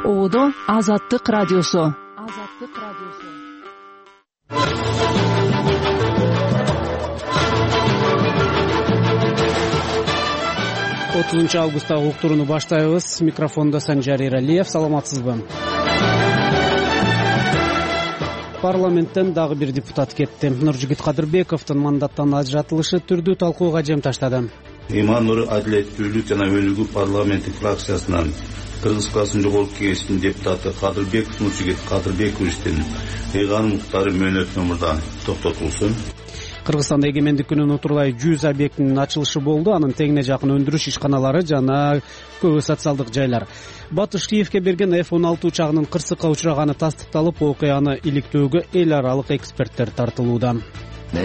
Оодо Азаттык радиосу. 30 августтагы уктурууну баштайбыз. Микрофондо Санжар Эралиев. Саламатсызбы? Парламенттен дагы бир депутат кетти. Нуржигит Кадырбековдун мандаттан ажыратылышы түрдүү талкууга жем таштады. Иман Нур адилеттүүлүк жана өнүгүү парламенттик фракциясынан Кыргызстан жогорку кеңешинин депутаты Кадырбеков Нуржигит Кадырбековичтин ыйган укуктары мөөнөтүнө мурда токтотулсун. Кыргызстанда эгемендик күнүнүн утурулай 100 объектинин ачылышы болду. Анын тегине жакын өндүрүш ишканалары жана көбү социалдык жайлар. Батыш Киевке берген F-16 учагынын кырсыкка учураганы тастыкталып, окуяны иликтөөгө эл аралык эксперттер тартылууда. Биз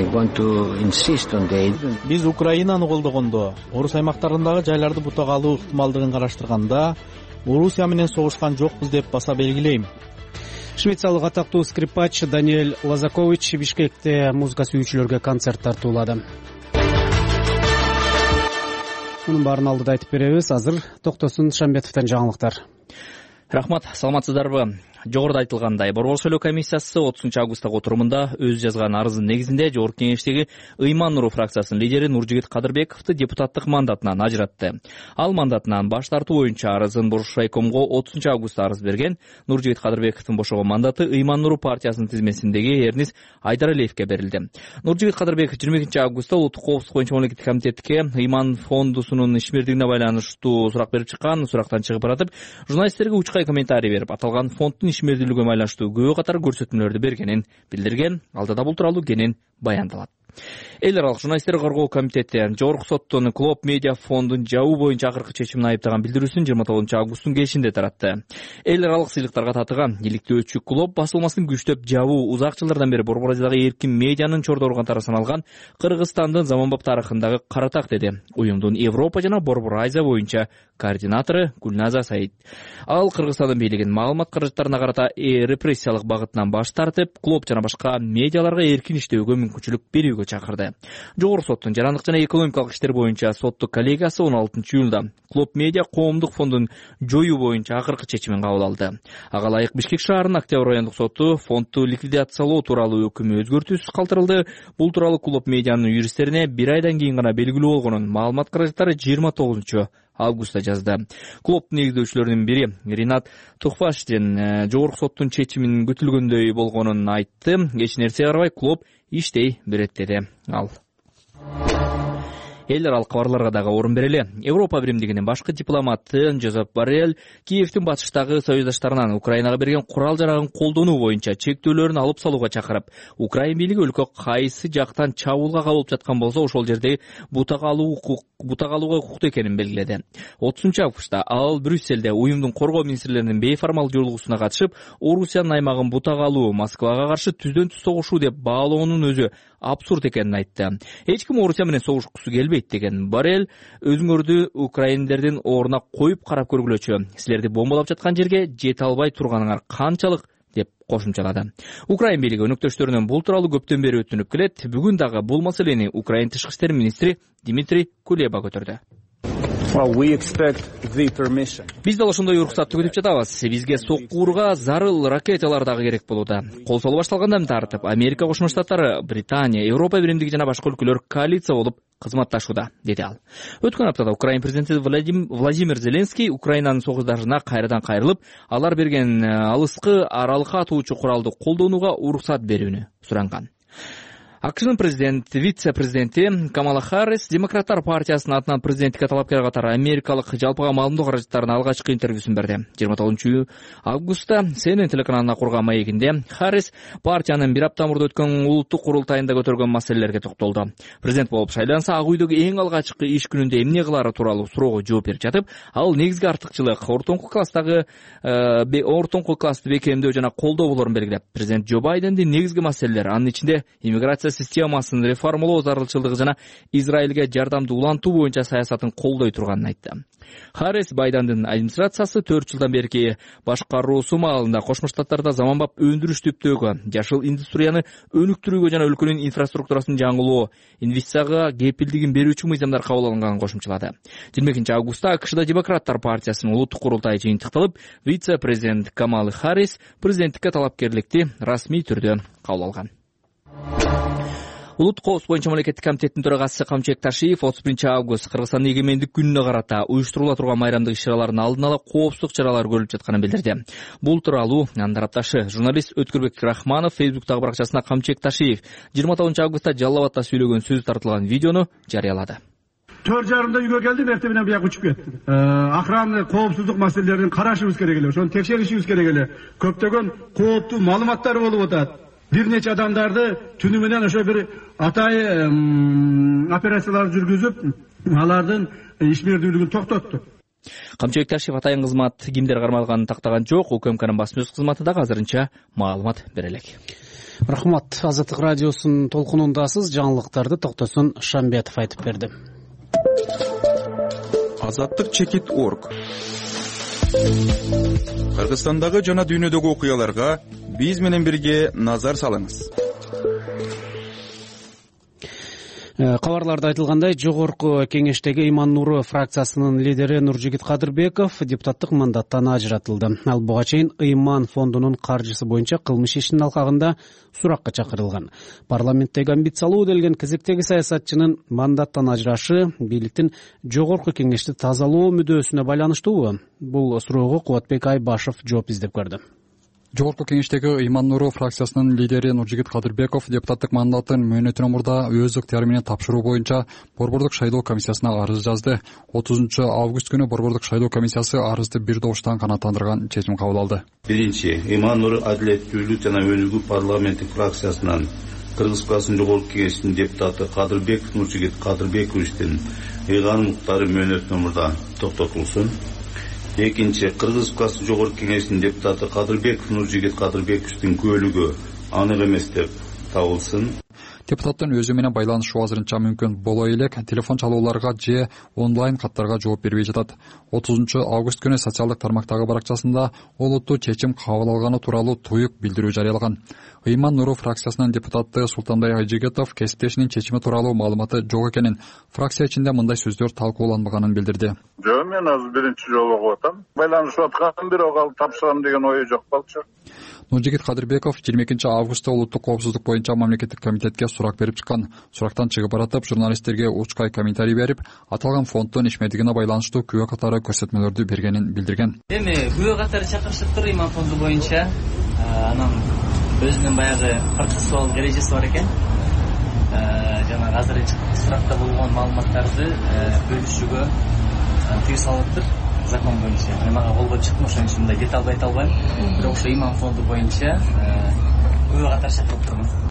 Украинаны колдогондо, орус аймактарындагы жайларды бутага алуу ыктымалдыгын караштырганда, Орусия менен согушкан жокпуз деп баса белгилейм. Швециялык атактуу скрипач Даниэль Лазакович Бишкекте музыка сүйүүчүлөргө концерт тартуулады. Мунун баарын алдыда айтып беребиз. Азыр Токтосун Шамбетовдон жаңылыктар. Рахмат, саламатсыздарбы? Жогоруда айтылгандай, Борбор шайлоо комиссиясы 30 августтагы отурумунда өз жазган арызынын негизинде жогорку кеңештеги Ыйман Нуру фракциясынын лидери Нуржигит Кадырбековду депутаттык мандатынан ажыратты. Ал мандатынан баш тартуу боюнча арызын Боршайкомго 30 августта арыз берген. Нуржигит Кадырбековдун бошогон мандаты Ыйман Нуру партиясынын тизмесиндеги Эрнис Айдаралиевке берилди. Нуржигит Кадырбеков 22 августта улуттук коопсуздук боюнча мамлекеттик комитетке Ыйман фондусунун ишмердигине байланыштуу сурак берип чыккан. Сурактан чыгып баратып, журналисттерге учкай комментарий берип, аталган фонддун ишмердүүлүгүнө байланыштуу көбү катар көрсөтмөлөрдү бергенин билдирген. Алдыда бул тууралуу кенен баяндалат. Эл аралык журналисттер коргоо комитети Жогорку соттун Клоп Медиа фондун жабуу боюнча акыркы чечимин айыптаган билдирүүсүн 29 августтун кечинде таратты. Эл аралык сыйлыктарга татыган иликтөөчү Клоп басылмасын күчтөп жабуу узак жылдардан бери Борбор Азиядагы эркин медианын чордо катары саналган Кыргызстандын заманбап тарыхындагы каратак, деди уюмдун Европа жана Борбор Азия боюнча координатору Гүлназа Саид. Ал Кыргызстандын бийлигин маалымат каражаттарына карата репрессиялык багытынан баш тартып, Клоп жана башка медиаларга эркин иштөөгө мүмкүнчүлүк берүүгө чакырды. Жогорку соттун жарандык жана экономикалык иштер боюнча соттук коллегиясы 16 июлда Клоп Медиа коомдук фондун жоюу боюнча акыркы чечимин кабыл алды. Ага ылайык Бишкек шаарынын Октябрь райондук соту фондду ликвидациялоо тууралуу өкүмү өзгөртүүсүз калтырылды. Бул тууралуу Клоп Медианын юристтерине 1 айдан кийин гана белгилүү болгонун маалымат каражаттары 29 августта жазды. Клоптун негиздөөчүлөрүнүн бири Ринат Тухфаштин жогорку соттун чечиминин күтүлгөндөй болгонун айтты. Эч нерсе карабай Клоп иштей берет, деди ал. Эл аралык кабарларга дагы орун берели. Европа биримдигинин башкы дипломаты Жозеп Боррель Киевдин батыштагы союздаштарынан Украинага берген курал-жарагын колдонуу боюнча чектөөлөрүн алып салууга чакырып, Украин бийлиги өлкө кайсы жактан чабуулга кабылып жаткан болсо ошол жерде бутага алууга укуктуу экенин белгиледи. 30 августта ал Брюсселде уюмдун коргоо министрлеринин бейформал жолугусуна катышып, Орусиянын аймагын бутага алуу Москвага каршы түздөн түз согушуу деп баалоонун өзү абсурд экенин айтты. Эч ким Орусия менен согушкусу келбейт деген Боррель өзүңөрдү украиндердин ордуна коюп карап көргүлөчү. Силерди бомбалап жаткан жерге жете албай турганыңар канчалык деп кошумчалады. Украин бийлиги өнөктөштөрүнөн бул тууралуу көптөн бери өтүнүп келет. Бүгүн дагы бул маселени Украин тышкы иштер министри Дмитрий Кулеба көтөрдү. Биз дал ошондой уруксатты күтүп жатабыз. Бизге соккуурга зарыл ракеталар дагы керек болууда. Кол солу башталгандан тартып Америка Кошмо Штаттары, Британия, Европа биримдиги жана башка өлкөлөр коалиция болуп кызматташууда, деди ал. Өткөн аптада Украин президенти Владимир Зеленский Украинанын согуштарына кайрадан кайрылып, алар берген алыскы аралыкка атуучу куралды колдонууга уруксат берүүнү суранган. АКШнын вице-президенти Камала Харрис Демократтар партиясынын атынан президенттикке талапкер катары америкалык жалпыга маалымдоо каражаттарына алгачкы интервьюсун берди. 29 августта CNN телеканалына курган маегинде Харрис партиянын бир апта мурда өткөн улуттук курултайында көтөргөн маселелерге токтолду. Президент болуп шайланса, Ак үйдөгү эң алгачкы иш күнүндө эмне кылаары тууралуу суроого жооп берип жатып, ал негизги артыкчылык ортоңку классты бекемдөө жана колдоо болорун белгилеп, президент Джо Байдендин негизги маселелери, анын ичинде иммиграция миграция системасын реформалоо зарылчылыгы жана Израилге жардамды улантуу боюнча саясатын колдой турганын айтты. Харрис Байдендин администрациясы 4 жылдан берки башкаруусу маалында Кошмо Штаттарда заманбап өндүрүш түптөгү, жашыл индустрияны өнүктүрүүгө жана өлкөнүн инфраструктурасын жаңылоо, инвестицияга кепилдигин берүүчү мыйзамдар кабыл алынганын кошумчалады. 22-августта АКШда Демократтар партиясынын улуттук курултайы жыйынтыкталып, вице-президент Камала Харрис президенттикке талапкерликти расмий түрдө кабыл алган. Улуттук коопсуздук боюнча мамлекеттик комитеттин төрагасы Камчыбек Ташиев 31-август Кыргызстандын эгемендик күнүнө карата уюштурула турган майрамдык иш-чаралардын алдын ала коопсуздук чаралары көрүлүп жатканын билдирди. Бул тууралуу анын тарапташы журналист Өткүрбек Рахманов Фейсбуктагы баракчасына Камчыбек Ташиев 29-августта Жалал Абадта сүйлөгөн сөзү тартылган видеону жарыялады. 4:30 үйгө келдим, эртең менен бияка учуп кеттим. Охрана коопсуздук маселелерин карашыбыз керек эле, ошону текшеришибиз керек эле. Көптөгөн кооптуу маалыматтар болуп атат. Бир нече адамдарды түнү менен ошо бир атайы операциялар жүргүзүп, алардын ишмердүүлүгүн токтотту. Камчыбек Ташиев атайын кызмат кимдер кармалганын тактаган жок. УКМКнын басма сөз кызматы дагы азырынча маалымат бере элек. Рахмат. Азаттык радиосунун толкунундасыз. Жаңылыктарды Токтосун Шамбетов айтып берди. Азаттык.org Кыргызстандагы жана дүйнөдөгү окуяларга биз менен бирге назар салыңыз. Кабарларда айтылгандай, жогорку кеңештеги Ыйман Нуру фракциясынын лидери Нуржигит Кадырбеков депутаттык мандаттан ажыратылды. Ал буга чейин Ыйман фондунун каржысы боюнча кылмыш ишинин алкагында суракка чакырылган. Парламенттеги амбициялуу делген кезектеги саясатчынын мандаттан ажырашы бийликтин жогорку кеңешти тазалоо мүдөөсүнө байланыштуубу? Бул суроого Кубатбек Айбашев жооп издеп көрдү. Жогорку кеңештеги Ыйман Нуру фракциясынын лидери Нуржигит Кадырбеков депутаттык мандатын мөөнөтүнөн мурда өз ыктыяры менен тапшыруу боюнча Борбордук шайлоо комиссиясына арыз жазды. 30-август күнү Борбордук шайлоо комиссиясы арызды бир добуштан канааттандырган чечим кабыл алды. Биринчи, Ыйман Нуру адилеттүүлүк жана өнүгүү парламенттик фракциясынан Кыргыз Республикасынын жогорку кеңешинин депутаты Кадырбеков Нуржигит Кадырбековичтин ыйган укуктары мөөнөтүнөн мурда токтотулсун. Экинчи, Кыргыз Республикасынын жогорку кеңешинин депутаты Кадырбеков Нуржигит Кадырбековичтин көлүгү анык эмес деп табылсын. Депутаттын өзү менен байланышуу азырынча мүмкүн боло элек, телефон чалууларга же онлайн каттарга жооп бербей жатат. 30-август күнү социалдык тармактагы баракчасында олуттуу чечим кабыл алганы тууралуу туюк билдирүү жарыялаган. Ыйман Нуру фракциясынын депутаты Султандай Айжигетов кесиптешинин чечими тууралуу маалыматы жок экенин, фракция ичинде мындай сөздөр талкууланбаганын билдирди. Жок, мен азыр биринчи жолу угуп атам. Байланышып аткан, бирок ал тапшырам деген ою жок болчу. Нуржигит Кадырбеков 22-августта улуттук коопсуздук боюнча мамлекеттик комитетке сурак берип чыккан. Сурактан чыгып баратып, журналисттерге учкай комментарий берип, аталган фонддун ишмердигине байланыштуу күбө катары көрсөтмөлөрдү бергенин билдирген. Эми күбө катары чакырышыптыр Ыйман фонду боюнча. Анан өзүнүн баягы процессуал эрежеси бар экен. Жана азыр суракта болгон маалыматтарды бөлүшүүгө тыюу салыптыр. Закон боюнча. Мага колго чыкты, ошон үчүн мындай деталды айта албайм. Бирок ошо Ыйман фонду боюнча күбө катары чакырып турмун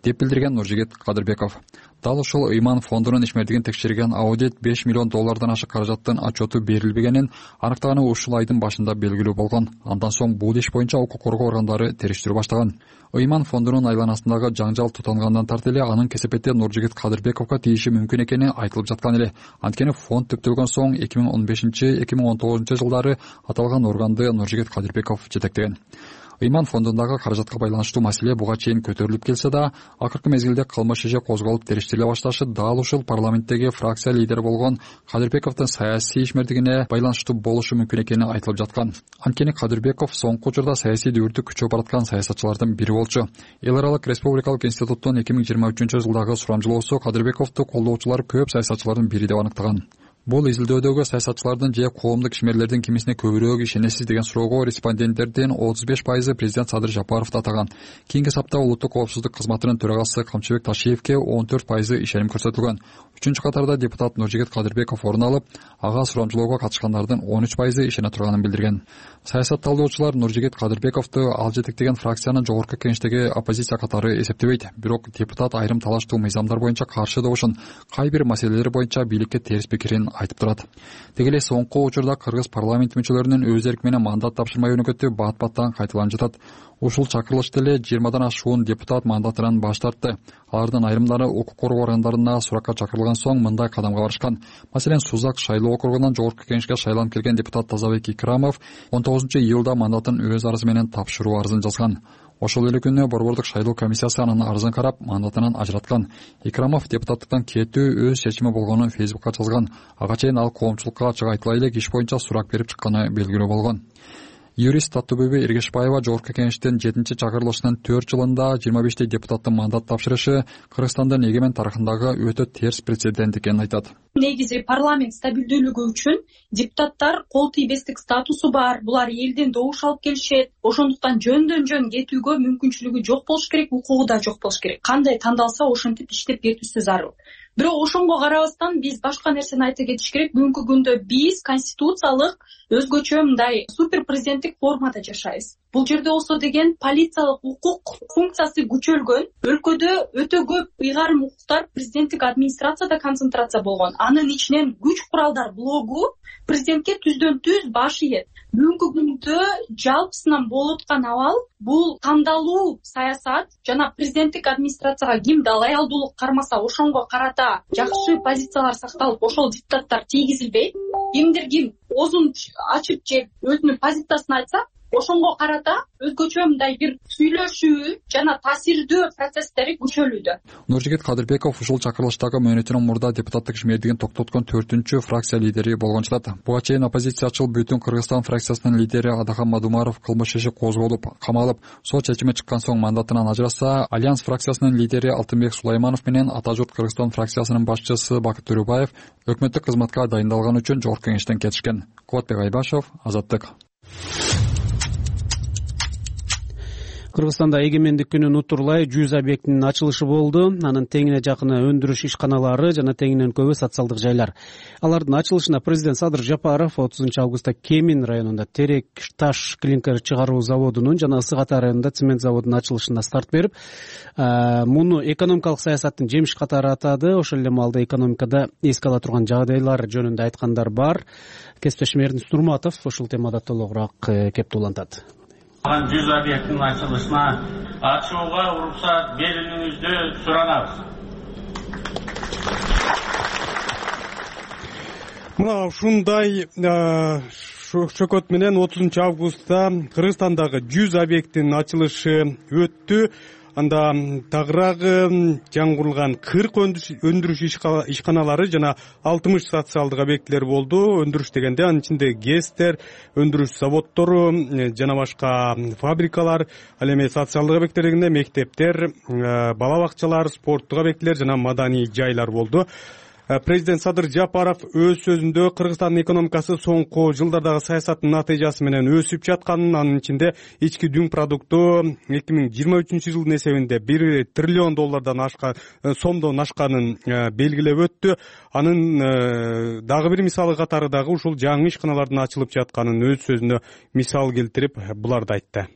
деп билдирген Нуржигит Кадырбеков. Дал ушул Ыйман фондунун ишмердигин текшерген аудит $5 миллион ашык каражаттын отчету берилбегенин аныктаганы ушул айдын башында белгилүү болгон. Андан соң бул иш боюнча укук коргоо органдары териштирүү баштаган. Ыйман фондунун айланасындагы жаңжал тутангандан тарты эле анын кесепети Нуржигит Кадырбековго тийиши мүмкүн экени айтылып жаткан эле. Анткени фонд түптөлгөн соң 2015-2019 жылдары аталган органды Нуржигит Кадырбеков жетектеген. Ыйман фондундагы каражатка байланыштуу маселе буга чейин көтөрүлүп келсе да, акыркы мезгилде кылмыш иши козголуп териштириле башташы дал ушул парламенттеги фракция лидери болгон Кадырбековдун саясий ишмердигине байланыштуу болушу мүмкүн экени айтылып жаткан. Анткени Кадырбеков соңку учурда саясий дүүртү күчөп бараткан саясатчылардын бири болчу. Эл аралык республикалык институттун 2023 жылдагы сурамжылоосу Кадырбековду колдоочулар көп саясатчылардын бири деп аныктаган. Бул изилдөөдөгү саясатчылардын же коомдук ишмерлердин кимисине көбүрөөк ишенесиз деген суроого респонденттердин 35% президент Садыр Жапаровду атаган. Кийинки сапта улуттук коопсуздук кызматынын төрагасы Камчыбек Ташиевке 14% ишеним көрсөтүлгөн. Үчүнчү катарда депутат Нуржигит Кадырбеков орун алып, ага сурамжылоого катышкандардын 13% ишене турганын билдирген. Саясат талдоочулар Нуржигит Кадырбековду ал жетектеген фракциянын жогорку кеңештеги оппозиция катары эсептебейт. Бирок депутат айрым талаштуу мыйзамдар боюнча каршы добушун, кай бир маселелер боюнча бийликке терс пикирин айтып турат. Деги эле соңку учурда кыргыз парламент мүчөлөрүнүн өз эрки менен мандат тапшырмай өнөкөтү бат-баттан кайталанып жатат. Ушул чакырылышта эле 20дан ашуун депутат мандатынан баш тартты. Алардын айрымдары укук коргоо органдарына суракка чакырылган соң мындай кадамга барышкан. Маселен, Сузак шайлоо округунан жогорку кеңешке шайланып келген депутат Тазабек Икрамов 19-июлда мандатын өз арызы менен тапшыруу арызын жазган. Ошол эле күнү борбордук шайлоо комиссиясы анын арызын карап, мандатынан ажыраткан. Икрамов депутаттыктан кетүү өз чечими болгонун Фейсбукка жазган. Ага чейин ал коомчулукка ачык айтыла элек иш боюнча сурак берип чыкканы белгилүү болгон. Юрист Таттыбүбү Эргешбаева жогорку кеңештин 7-чакырылышынын 4 жылында 25 депутаттын мандат тапшырышы Кыргызстандын эгемен тарыхындагы өтө терс прецедент экенин айтат. Негизи парламент стабилдүүлүгү үчүн депутаттар кол тийбестик статусу бар, булар элден добуш алып келишет. Ошондуктан жөндөн жөн кетүүгө мүмкүнчүлүгү жок болуш керек, укугу да жок болуш керек. Кандай тандалса ошентип иштеп кетүүсү зарыл. Бирок ошонго карабастан биз башка нерсени айта кетиш керек. Бүгүнкү күндө биз конституциялык өзгөчө мындай супер президенттик формада жашайбыз. Бул жерде болсо деген полициялык укук функциясы күчөлгөн. Өлкөдө өтө көп ыйгарым укуктар президенттик администрацияда концентрация болгон. Анын ичинен күч куралдар блогу президентке түздөн түз баш ийет. Бүгүнкү күндө жалпысынан болуп аткан абал бул тандалуу саясат жана президенттик администрацияга кимди лоялдуулук кармаса ошонго карата жакшы позициялар сакталып, ошол депутаттар тийгизилбейт. Ким оозун ачып же өзүнүн позициясын айтса, ошонго карата өзгөчө мындай бир сүйлөшүү жана таасирдүү процесстери күчөлүүдө. Нуржигит Кадырбеков ушул чакырылыштагы мөөнөтүнөн мурда депутаттык ишмердигин токтоткон 4-фракция лидери болгон жатат. Буга чейин оппозициячыл Бүтүн Кыргызстан фракциясынын лидери Адахан Мадумаров кылмыш иши козголуп, камалып, сот чечими чыккан соң мандатынан ажыраса, Альянс фракциясынын лидери Алтынбек Сулайманов менен Ата журт Кыргызстан фракциясынын башчысы Бакыт Төрөбаев өкмөттүк кызматка дайындалган үчүн жогорку кеңештен кетишкен. Кубатбек Айбашев, Азаттык. Кыргызстанда эгемендик күнүн утурлай 100 объектинин ачылышы болду. Анын теңине жакыны өндүрүш ишканалары жана теңинен көбү социалдык жайлар. Алардын ачылышына президент Садыр Жапаров 30-августта Кемин районунда терек таш клинкер чыгаруу заводунун жана Ысык Ата районунда цемент заводунун ачылышына старт берип, муну экономикалык саясаттын жемиш катары атады. Ошол эле маалда экономикада эске ала турган жагдайлар жөнүндө айткандар бар. Кесиптешим Эрдинис Турматов ушул темада толугураак кеп туулантат. 100 объекттин ачылышына ачууга уруксат берүүңүздү суранабыз. Мына ушундай шөкөт менен 30-августта Кыргызстандагы 100 объекттин ачылышы өттү. Анда тагыраагы жаңгырылган 40 өндүрүш ишканалары жана 60 социалдык объектилер болду. Өндүрүш дегенде анын ичинде ГЭСтер, өндүрүш заводдору жана башка фабрикалар, ал эми социалдык объекттер дегенде мектептер, бала бакчалар, спорттук объектилер жана маданий жайлар болду. Президент Садыр Жапаров өз сөзүндө Кыргызстандын экономикасы соңку жылдардагы саясаттын натыйжасы менен өсүп жатканын, анын ичинде ички дүң продукту 2023-жылдын эсебинде 1 триллион доллардан сомдон ашканын белгилеп өттү. Анын дагы бир мисалы катары дагы ушул жаңы ишканалардын ачылып жатканын өз сөзүндө мисал келтирип буларды айтты.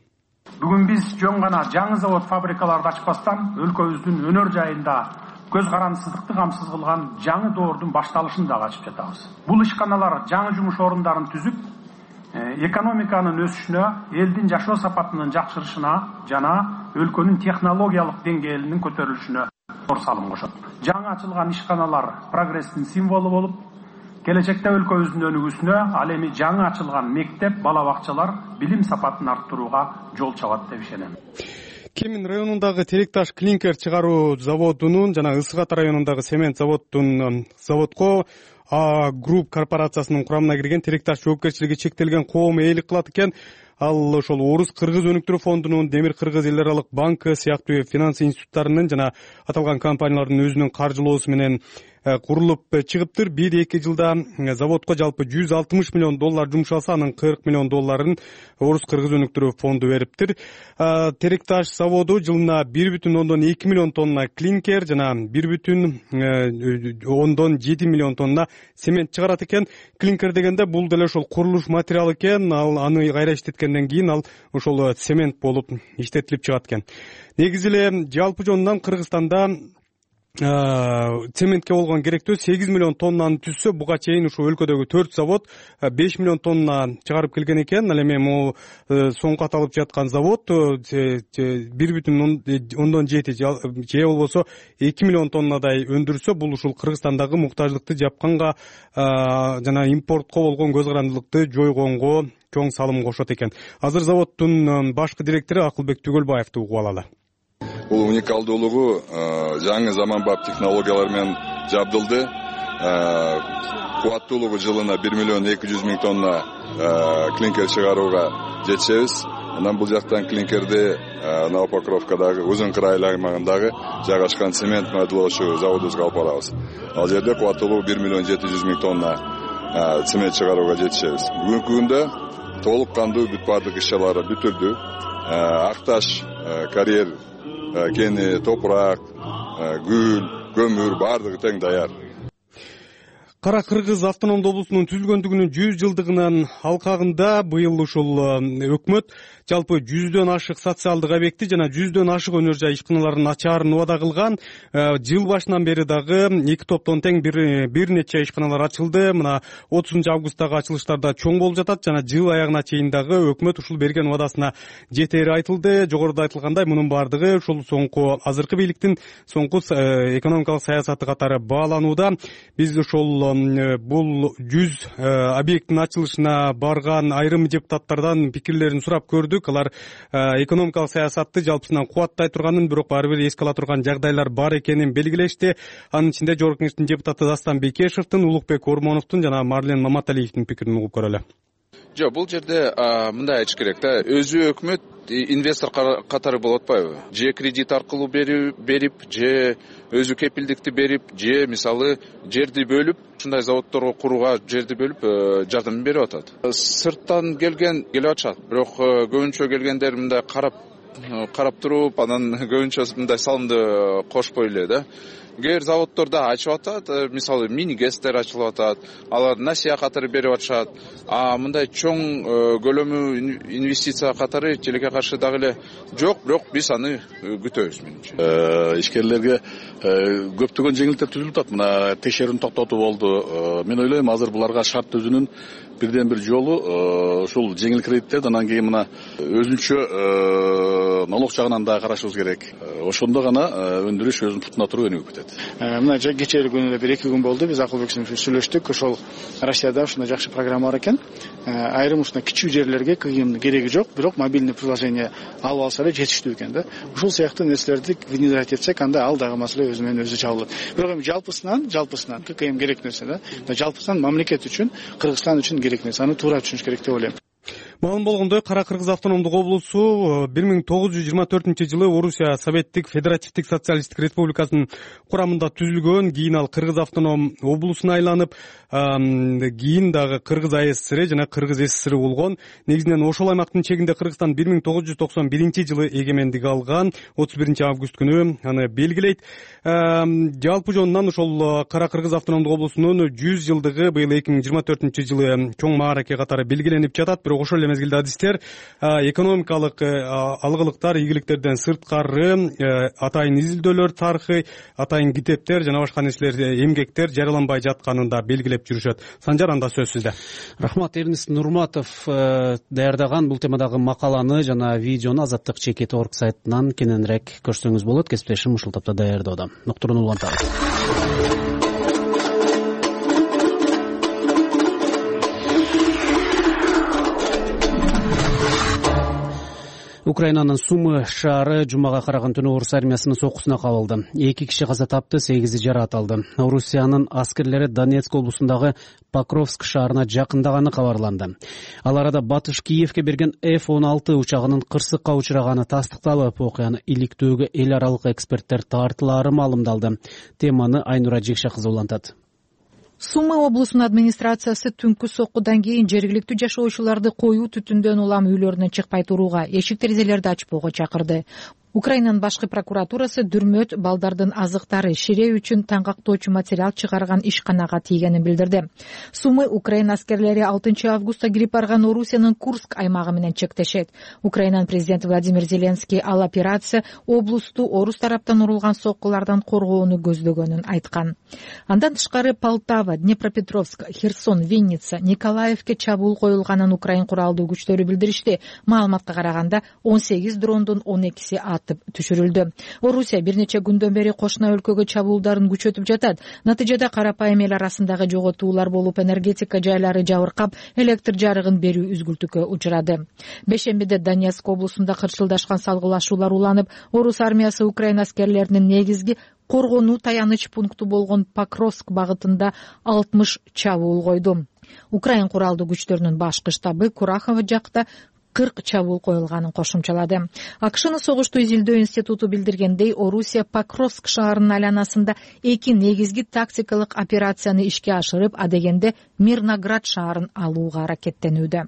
Бүгүн биз жөн гана жаңы завод фабрикаларды ачпастан өлкөбүздүн өнөр жайында көз карандысыздыкты камсыз кылган жаңы доордун башталышын дагы ачып жатабыз. Бул ишканалар жаңы жумуш орундарын түзүп, экономиканын өсүшүнө, элдин жашоо сапатынын жакшырышына жана өлкөнүн технологиялык деңгээлинин көтөрүлүшүнө зор салым кошот. Жаңы ачылган ишканалар прогресстин символу болуп, келечекте өлкөбүздүн өнүгүүсүнө, ал эми жаңы ачылган мектеп, бала бакчалар билим сапатын арттырууга жол чабат деп ишенем. Кемин районундагы теректаш клинкер чыгаруу заводунун жана Ысык Ата районундагы цемент заводко Групп корпорациясынын курамына кирген теректаш жоопкерчилиги чектелген коом ээлик кылат экен. Ал ошол Орус Кыргыз өнүктүрүү фондунун, Демир Кыргыз эл аралык банкы сыяктуу финанс институттарынын жана аталган компаниялардын өзүнүн каржылоосу менен курулуп чыгыптыр. 1-2 жылда заводко жалпы 160 миллион доллар жумшалса, анын 40 миллион долларын Орус Кыргыз өнүктүрүү фонду бериптир. Теректаш заводу жылына 1,2 миллион тонна клинкер жана 1,7 миллион тонна цемент чыгарат экен. Клинкер дегенде бул деле ошол курулуш материалы экен. Ал аны кайра иштеткенден кийин ал ошол цемент болуп иштетилип чыгат экен. Негизи эле жалпы жонунан Кыргызстанда цементке болгон керектөө 8 миллион тоннаны түзсө, буга чейин ушу өлкөдөгү 4 завод 5 миллион тонна чыгарып келген экен. Ал эми могу соңку аталып жаткан завод 1,7 же болбосо 2 миллион тоннадай өндүрсө, бул ушул Кыргызстандагы муктаждыкты жапканга жана импортко болгон көз карандылыкты жойгонго чоң салым кошот экен. Азыр заводдун башкы директору Акылбек Түгөлбаевди угуп алалы. Бул уникалдуулугу жаңы заманбап технологиялар менен жабдылды. Кубаттуулугу жылына 1 миллион 200 миң тонна клинкер чыгарууга жетишебиз. Анан бул жактан клинкерди Новопокровкадагы Узун Кырай аймагындагы жайгашкан цемент майдалоочу заводубузга алып барабыз. Ал жерде кубаттуулугу 1 миллион 700 миң тонна цемент чыгарууга жетишебиз. Бүгүнкү күндө толук кандуу бүт бардык иш-чаралары бүтүлдү. Акташ, карьер, кени, топурак, гүл, көмүр бардыгы тең даяр. Кара Кыргыз автономдуу облусунун түзүлгөндүгүнүн 100 жылдыгынын алкагында быйыл ушул өкмөт жалпы 100дөн ашык социалдык объекти жана 100дөн ашык өнөр жай ишканаларын ачаарын убада кылган. Жыл башынан бери дагы 2 топтон тең бир нече ишканалар ачылды. Мына 30 августтагы ачылыштарда чоң болуп жатат жана жыл аягына чейин дагы өкмөт ушул берген убадасына жетери айтылды. Жогоруда айтылгандай, мунун бардыгы ушул соңку азыркы бийликтин соңку экономикалык саясаты катары бааланууда. Биз ушул бул 100 объекттин ачылышына барган айрым депутаттардан пикирлерин сурап көрдүк. Алар экономикалык саясатты жалпысынан кубаттай турганын, бирок баары бир эске ала турган жагдайлар бар экенин белгилешти. Анын ичинде Жогорку Кеңештин депутаты Дастан Бекешевдин, Улукбек Ормоновдун жана Марлен Маматалиевдин пикирин угуп көрөлү. Жок, бул жерде мындай айтыш керек да, өзү өкмөт инвестор катары болуп атпайбы? Же кредит аркылуу берип, же өзү кепилдикти берип, же мисалы жерди бөлүп, ушундай заводдорго курууга жерди бөлүп жардам берип атат. Сырттан келип атышат, бирок көбүнчө келгендер мындай карап туруп, анан көбүнчө мындай салымды кошпой эле да. Кээ заводдорда ачып атат, мисалы мини-гэстер ачылып атат, алар насыя катары берип атышат. Мындай чоң көлөмү инвестиция катары тилекке каршы дагы эле жок, бирок биз аны күтөбүз менимче. Ишкерлерге көптөгөн жеңилдиктер түзүлүп атат. Мына текшерүүнү токтотуу болду. Мен ойлойм, азыр буларга шарт түзүүнүн бирден бир жолу ушул жеңил кредиттерди анан кийин мына өзүнчө налог жагынан да карашыбыз керек. Ошондо гана өндүрүш өзүнүн путуна туруп өнүгүп кетет. Мына кечээ күнү эле 1-2 күн болду, биз Акылбек менен сүйлөштүк. Ошол Россияда ушундай жакшы программа бар экен. Айрым ушундай кичүү жерлерге КГМдин кереги жок, бирок мобильный приложение алып алса эле жетиштүү экен да. Ушул сыяктуу нерселерди внедрять этсек, анда ал дагы маселе өзү менен өзү чабылат. Бирок эми жалпысынан КГМ керек нерсе да. Жалпысынан мамлекет үчүн, Кыргызстан үчүн керек нерсе, аны туура түшүнүш керек деп ойлойм. Маалым болгондой, Кара Кыргыз автономдук облусу 1924-жылы Орусия Советтик Федеративдик Социалисттик Республикасынын курамында түзүлгөн. Кийин ал Кыргыз автоном облусуна айланып, кийин дагы Кыргыз АССР жана Кыргыз СССР болгон. Негизинен ошол аймактын чегинде Кыргызстан 1991-жылы эгемендик алган. 31 август күнү аны белгилейт. Жалпы жонунан ошол Кара Кыргыз автономдук облусунун 100 жылдыгы быйыл 2024-жылы чоң маараке катары белгиленип жатат. Бирок ошол эле мезгилде адистер экономикалык алгылыктар, ийгиликтерден сырткары атайын изилдөөлөр тарыхы, атайын китептер жана башка нерселер, эмгектер жарыяланбай жатканын да белгилеп жүрүшөт. Санжар, анда сөз сизде. Рахмат. Эрнест Нурматов даярдаган бул темадагы макаланы жана видеону Азаттык чекит орг сайтынан кененирээк көрсөңүз болот. Кесиптешим ушул тапта даярдоодо. Ноктурууну улантабыз. Украинанын Сумы шаары жумага караган түнү орус армиясынын соккусуна кабылды. 2 киши каза тапты, 8 жаракат алды. Орусиянын аскерлери Донецк облусундагы Покровск шаарына жакындаганы кабарланды. Ал арада Батыш Киевке берген F-16 учагынын кырсыкка учураганы тастыкталып, окуяны иликтөөгө эл аралык эксперттер тартылаары маалымдалды. Теманы Айнура Жекше кызы улантат. Сумы облусунун администрациясы түнкү соккудан кийин жергиликтүү жашоочуларды коюу түтүндөн улам үйлөрүнөн чыкпай турууга, эшик терезелерди ачпоого чакырды. Украинанын башкы прокуратурасы дүрмөт балдардын азыктары ширээ үчүн таңгактоочу материал чыгарган ишканага тийгенин билдирди. Сумы Украина аскерлери 6 августта кирип барган Орусиянын Курск аймагы менен чектешет. Украинанын президенти Владимир Зеленский ал операция облусту орус тараптан урулган соккулардан коргоону көздөгөнүн айткан. Андан тышкары Полтава, Днепропетровск, Херсон, Винница, Николаевке чабуул коюлганын Украин куралдуу күчтөрү билдиришти. Маалыматка караганда 18 дрондун 12си атып түшүрүлдү. Орусия бир нече күндөн бери кошуна өлкөгө чабуулдарын күчөтүп жатат. Натыйжада карапайым эл арасындагы жоготуулар болуп, энергетика жайлары жабыркап, электр жарыгын берүү үзгүлтүккө учурады. Бешембиде Донецк облусунда кырчылдашкан салгылашуулар уланып, орус армиясы Украина аскерлеринин негизги коргонуу таяныч пункту болгон Покровск багытында 60 чабуул койду. Украин куралдуу күчтөрүнүн башкы штабы Курахово жакта 40 чабуул коюлганын кошумчалады. АКШнын согушту изилдөө институту билдиргендей, Орусия Покровск шаарынын айланасында 2 негизги тактикалык операцияны ишке ашырып, адегенде Мирноград шаарын алууга аракеттенүүдө.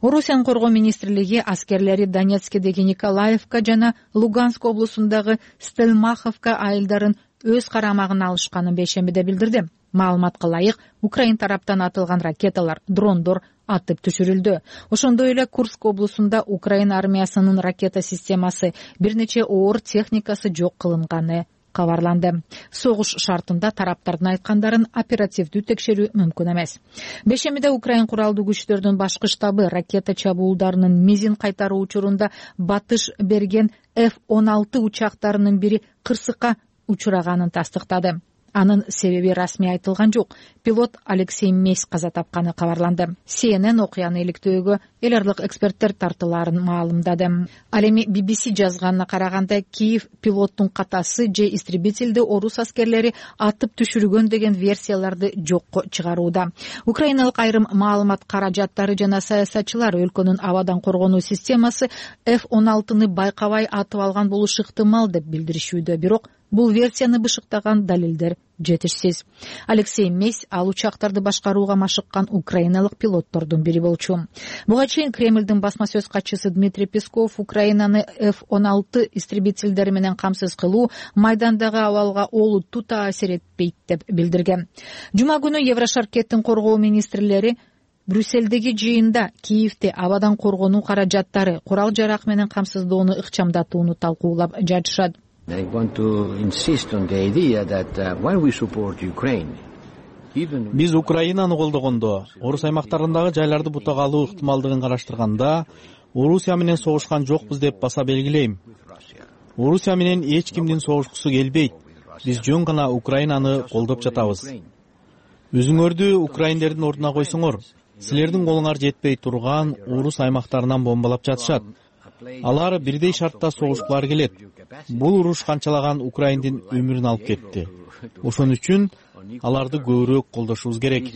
Орусиянын коргоо министрлиги аскерлери Донецкедеги Николаевка жана Луганск облусундагы Стельмаховка айылдарын өз карамагына алышканын бейшембиде билдирди. Маалыматка ылайык, Украин тараптан атылган ракеталар, дрондор атып түшүрүлдү. Ошондой эле Курск облусунда Украина армиясынын ракета системасы, бир нече оор техникасы жок кылынганы кабарланды. Согуш шартында тараптардын айткандарын оперативдүү текшерүү мүмкүн эмес. Бешемиде Украин куралдуу күчтөрүнүн башкы штабы ракета чабуулдарынын мизин кайтаруу учурунда батыш берген F-16 учактарынын бири кырсыкка учураганын тастыктады. Анын себеби расмий айтылган жок. Пилот Алексей Месь каза тапканы кабарланды. CNN окуяны иликтөөгө эл аралык эксперттер тартылаарын маалымдады. Ал эми BBC жазганына караганда, Киев пилоттун катасы же истребительди орус аскерлери атып түшүргөн деген версияларды жокко чыгарууда. Украиналык айрым маалымат каражаттары жана саясатчылар өлкөнүн абадан коргонуу системасы F-16-ны байкабай атып алган болушу ыктымал деп билдиришүүдө. Бирок бул версияны бышыктаган далилдер жетишсиз. Алексей Месь ал учактарды башкарууга машыккан украиналык пилоттордун бири болчу. Буга чейин Кремлдин басма сөз катчысы Дмитрий Песков Украинаны F-16 истребительдери менен камсыз кылуу майдандагы абалга олуттуу таасир этпейт деп билдирген. Жума күнү Еврошаркеттин коргоо министрлери Брюсселдеги жыйында Киевде абадан коргонуу каражаттары, курал жарак менен камсыздоону ыкчамдатууну талкуулап жатышат. I want to insist on the idea that when we support Ukraine, биз Украинаны колдогондо, орус аймактарындагы жайларды бутак алуу ыктымалдыгын караштырганда, Орусия менен согушкан жокпуз деп баса белгилейм. Орусия менен эч кимдин согушкусу келбейт. Биз жөн гана Украинаны колдоп жатабыз. Өзүңөрдү украиндердин ордуна койсоңор, силердин колуңар жетпей турган орус аймактарынан бомбалап жатышат. Алар бирдей шартта согушкулары келет. Бул уруш канчалаган украиндин өмүрүн алып кетти. Ошон үчүн аларды көбүрөөк колдошубуз керек.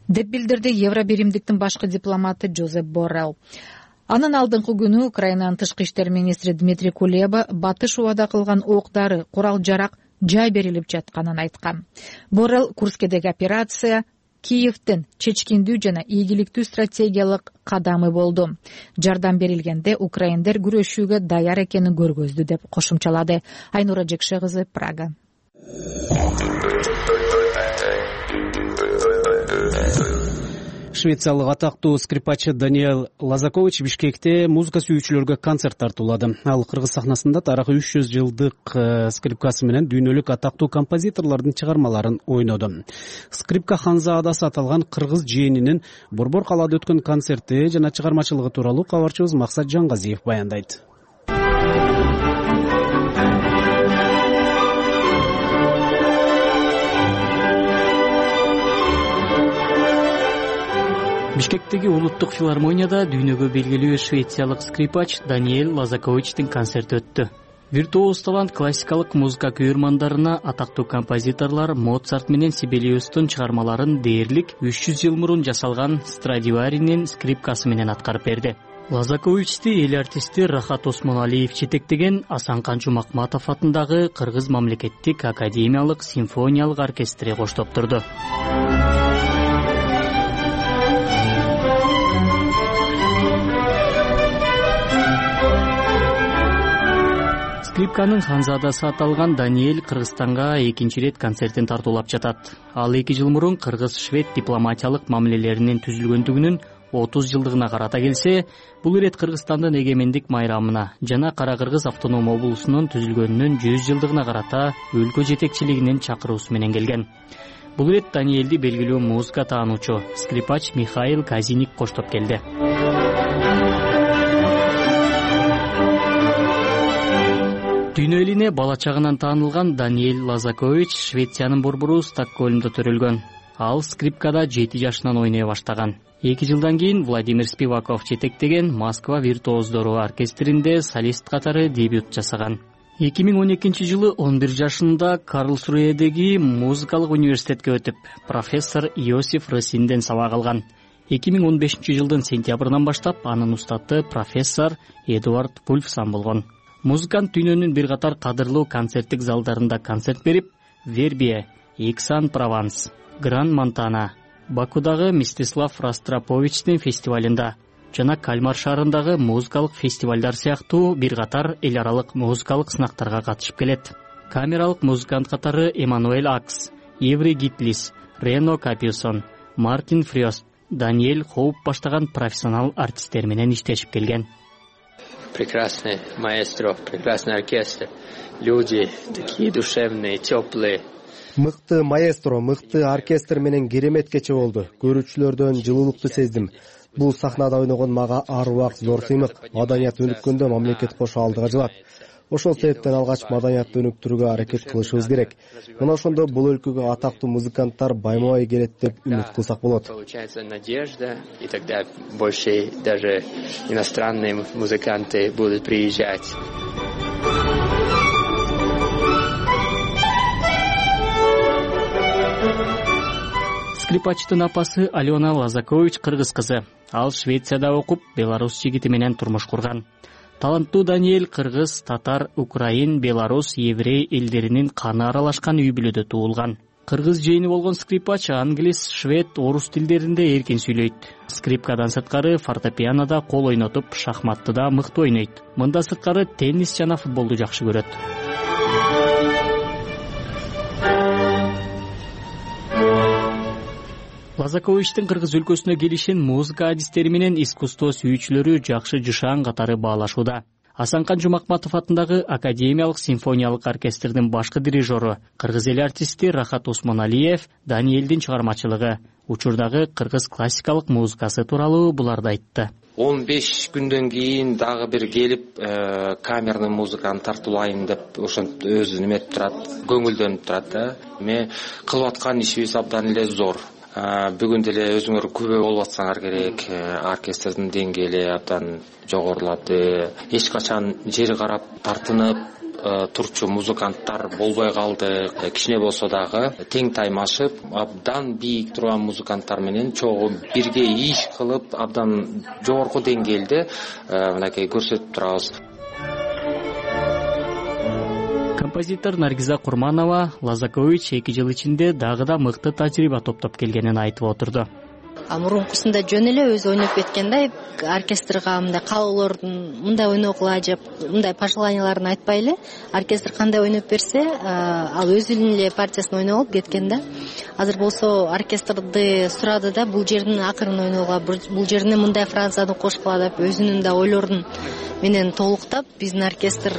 Деп билдирди Евробиримдиктин башкы дипломаты Жозеп Боррелл. Анын алдыңкы күнү Украинанын тышкы иштер министри Дмитрий Кулеба батыш убада кылган оок-дары, курал жарак жай берилип жатканын айткан. Боррелл Курскедеги операция Киевдин чечкиндүү жана ийгиликтүү стратегиялык кадамы болду. Жардам берилгенде украиндер күрөшүүгө даяр экенин көргөздү деп кошумчалады. Айнура Жекше кызы, Прага. Швециялык атактуу скрипачы Даниэль Лазакович Бишкекте музыка сүйүүчүлөргө концерт тартуулады. Ал кыргыз сахнасында тарыхый 300 жылдык скрипкасы менен дүйнөлүк атактуу композиторлордун чыгармаларын ойноду. Скрипка Ханзаадасы аталган кыргыз жээнинин Борбор калаада өткөн концерти жана чыгармачылыгы тууралуу кабарчыбыз Максат Жангазиев баяндайт. Бишкектеги улуттук филармонияда дүйнөгө белгилүү швециялык скрипач Даниэль Лазаковичтин концерти өттү. Виртуоз талант классикалык музыка күйөрмандарына атактуу композиторлор Моцарт менен Сибелиустун чыгармаларын дээрлик 300 жыл мурун жасалган Страдиваринин скрипкасы менен аткарып берди. Лазаковичти эл артисти Рахат Осмоналиев жетектеген Асанкан Жумакматов атындагы Кыргыз мамлекеттик академиялык симфониялык оркестри коштоп турду. скрипканын ханзадасы аталган Даниэль Кыргызстанга экинчи ирет концертин тартуулап жатат. Ал 2 жыл мурун кыргыз-швед дипломатиялык мамилелеринин түзүлгөндүгүнүн 30 жылдыгына карата келсе, бул ирет Кыргызстандын эгемендик майрамына жана Кара Кыргыз автоном облусунун түзүлгөнүнүн 100 жылдыгына карата өлкө жетекчилигинин чакыруусу менен келген. Бул ирет Даниэльди белгилүү музыка таануучу скрипач Михаил Казиник коштоп келди. Дүйнө элине бала чагынан таанылган Даниэль Лазакович Швециянын борбору Стокгольмдо төрөлгөн. Ал скрипкада 7 жашынан ойной баштаган. 2 жылдан кийин Владимир Спиваков жетектеген Москва виртуоздору оркестринде солист катары дебют жасаган. 2012 жылы 11 жашында Карлсруэдеги музыкалык университетке өтүп, профессор Иосиф Росинден сабак алган. 2015 жылдын сентябрынан баштап анын устаты профессор Эдуард Пульфсан болгон. Музыкант дүйнөнүн бир катар кадырлуу концерттик залдарында концерт берип, Вербия, Эксан-Прованс, Гран-Монтана, Бакудагы Мстислав Ростроповичтин фестивалында жана Кальмар шаарындагы музыкалык фестивалдар сыяктуу бир катар эл аралык музыкалык сынактарга катышып келет. Камералык музыкант катары Эммануэль Акс, Иври Гитлис, Рено Капюсон, Мартин Фрёст, Даниэль Хоуп баштаган профессионал артисттер менен иштешип келген. Прекрасный маэстро, прекрасный оркестр. Люди такие душевные, теплые. Мыкты маэстро, мыкты оркестр менен керемет кече болду. Көрүүчүлөрдөн жылуулукту сездим. Бул сахнада ойногон мага ар убак зор сыймык. Маданият өнүккөндө мамлекет кошо алдыга жылат. Ошол себептен алгач маданиятты өнүктүрүүгө аракет кылышыбыз керек. Мына ошондо бул өлкөгө атактуу музыканттар байма-бай келет деп үмүт кылсак болот. Получается надежда, и тогда больше даже иностранные музыканты будут приезжать. Скрипачтын апасы Алена Лазакович кыргыз кызы. Ал Швецияда окуп, Беларусь жигити менен турмуш курган. Таланттуу Даниэль кыргыз, татар, украин, белорус, еврей элдеринин каны аралашкан үй бүлөдө туулган. Кыргыз жээни болгон скрипач англис, швед, орус тилдеринде эркин сүйлөйт. Скрипкадан сырткары фортепианода кол ойнотуп, шахматты да мыкты ойнойт. Мында сырткары теннис жана футболду жакшы көрөт. Лазаковичтин кыргыз өлкөсүнө келишин музыка адистери менен искусство сүйүүчүлөрү жакшы жышаан катары баалашууда. Асанкан Жумакматов атындагы Академиялык симфониялык оркестрдин башкы дирижеру, кыргыз эл артисти Рахат Осмоналиев Даниэльдин чыгармачылыгы, учурдагы кыргыз классикалык музыкасы тууралуу буларды айтты. 15 күндөн кийин дагы бир келип камерный музыканы тартуулайын деп ошентип өзү неметип турат, көңүлдөнүп турат да. Эми кылып аткан ишибиз абдан эле зор. Бүгүн деле өзүңөр күбө болуп атсаңар керек. Оркестрдин деңгээли абдан жогорулады. Эч качан жери карап тартынып турчу музыканттар болбой калды. Кичине болсо дагы тең таймашып, абдан бийик турган музыканттар менен чогуу бирге иш кылып, абдан жогорку деңгээлде мынакей көрсөтүп турабыз. Композитор Наргиза Курманова Лазакович 2 жыл ичинде дагы да мыкты тажрыйба топтоп келгенин айтып отурду. Мурункусунда жөн эле өзү ойноп кеткенде оркестрга мындай каалоолордун мындай ойногула деп мындай пожеланияларын айтпай эле оркестр кандай ойноп берсе, ал өзүнүн эле партиясын ойноп алып кеткен да. Азыр болсо оркестрди сурады да бул жердин акырын ойногула, бул жерине мындай фразаны кошкула деп өзүнүн да ойлорун менен толуктап биздин оркестр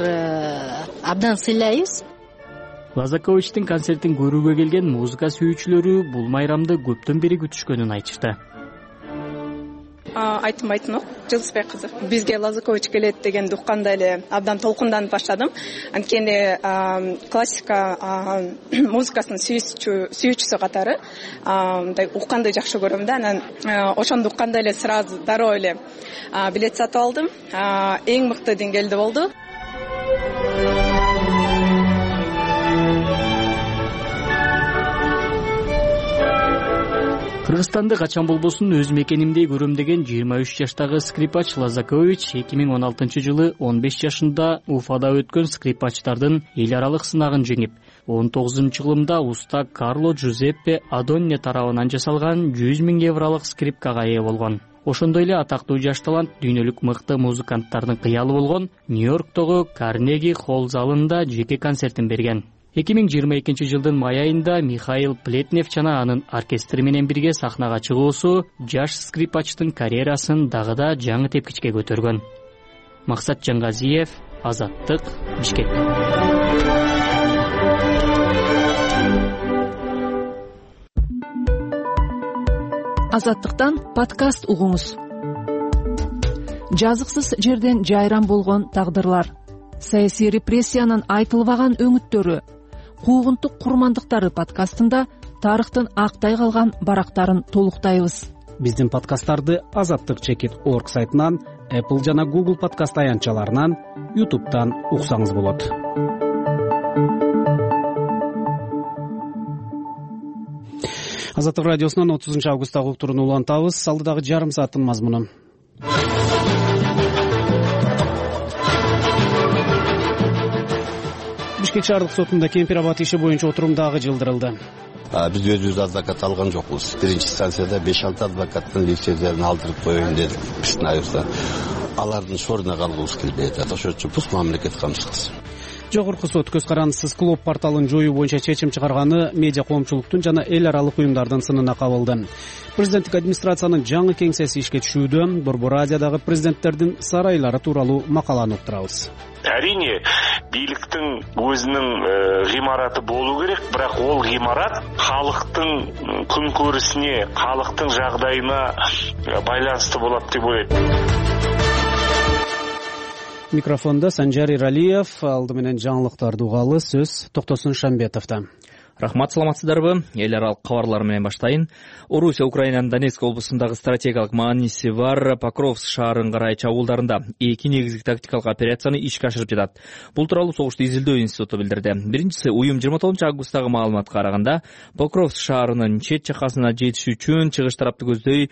абдан сыйлайбыз. Лазаковичтин концертин көрүүгө келген музыка сүйүүчүлөрү бул майрамды көптөн бери күтүшкөнүн айтышты. Айтмайтын жылдызбек кызы. Бизге Лазакович келет дегенди укканда эле абдан толкунданып баштадым. Анткени классика музыкасынын сүйүүчүсү катары мындай укканды жакшы көрөм да. Анан ошондо укканда эле сразу дароо эле билет сатып алдым. Эң мыкты деңгээлде болду. Кыргызстанды качан болбосун өз мекенимдей көрөм деген 23 жаштагы скрипач Лазакович 2016 жылы 15 жашында Уфада өткөн скрипачтардын эл аралык сынагын жеңип, 19-жылымда уста Карло Джузеппе Адонне тарабынан жасалган 100 000 евролук скрипкага ээ болгон. Ошондой эле атактуу жаш талант дүйнөлүк мыкты музыканттардын кыялы болгон Нью-Йорктогу Карнеги холл залында жеке концертин берген. 2022 жылдын май айында Михаил Плетнев жана анын оркестри менен бирге сахнага чыгуусу жаш скрипачтын карьерасын дагы да жаңы тепкичке көтөргөн. Максат Жаңгазиев, Азаттык, Бишкек. Азаттыктан подкаст угуңуз. Жазыксыз жерден жайран болгон тагдырлар, саясий репрессиянын айтылбаган өңүттөрү, куугунтук курмандыктары подкастында тарыхтын актай калган барактарын толуктайбыз. Биздин подкасттарды azattik.org сайтынан, Apple жана Google подкаст аянтчаларынан, YouTube'дан уксаңыз болот. Азаттык радиосунун 30 августтагы уктурууну улантабыз. Алдыдагы жарым сааттын мазмуну. Бишкек шаардык сотунда кемпир абат иши боюнча отурум дагы жылдырылды. Биз өзүбүз адвокат алган жокпуз. Биринчи станцияда 5-6 адвокаттын лицензияларын алдырып коеюн дедик биздин айыбызда. Алардын шоруна калгыбыз келбей атат. Ошон үчүн бул мамлекет камсыз кылсын. Жогорку сот көз карандысыз клуб порталын жоюу боюнча чечим чыгарганы медиа коомчулуктун жана эл аралык уюмдардын сынына кабылды. Президенттик администрациянын жаңы кеңсеси ишке түшүүдө Борбор Азиядагы президенттердин сарайлары тууралуу макаланы уктурабыз. Әрине, бийликтин өзүнүн гимараты болуу керек, бирок ол гимарат халыктын күнкөрүсүнө, халыктын жагдайына байланыштуу болот деп ойлойт. Микрофонда Санжар Иралиев, алды менен жаңылыктарды угалы, сөз Токтосун Шамбетовдо. Рахмат, саламатсыздарбы? Эл аралык кабарлар менен баштайын. Орусия Украинанын Донецк облусундагы стратегиялык мааниси бар Покровск шаарын карай чабуулдарында 2 негизги тактикалык операцияны ишке ашырып жатат. Бул тууралуу Согушту изилдөө институту билдирди. Биринчиси, уюм 29 августтагы маалыматка караганда, Покровск шаарынын чет жакасына жетиш үчүн чыгыш тарапты көздөй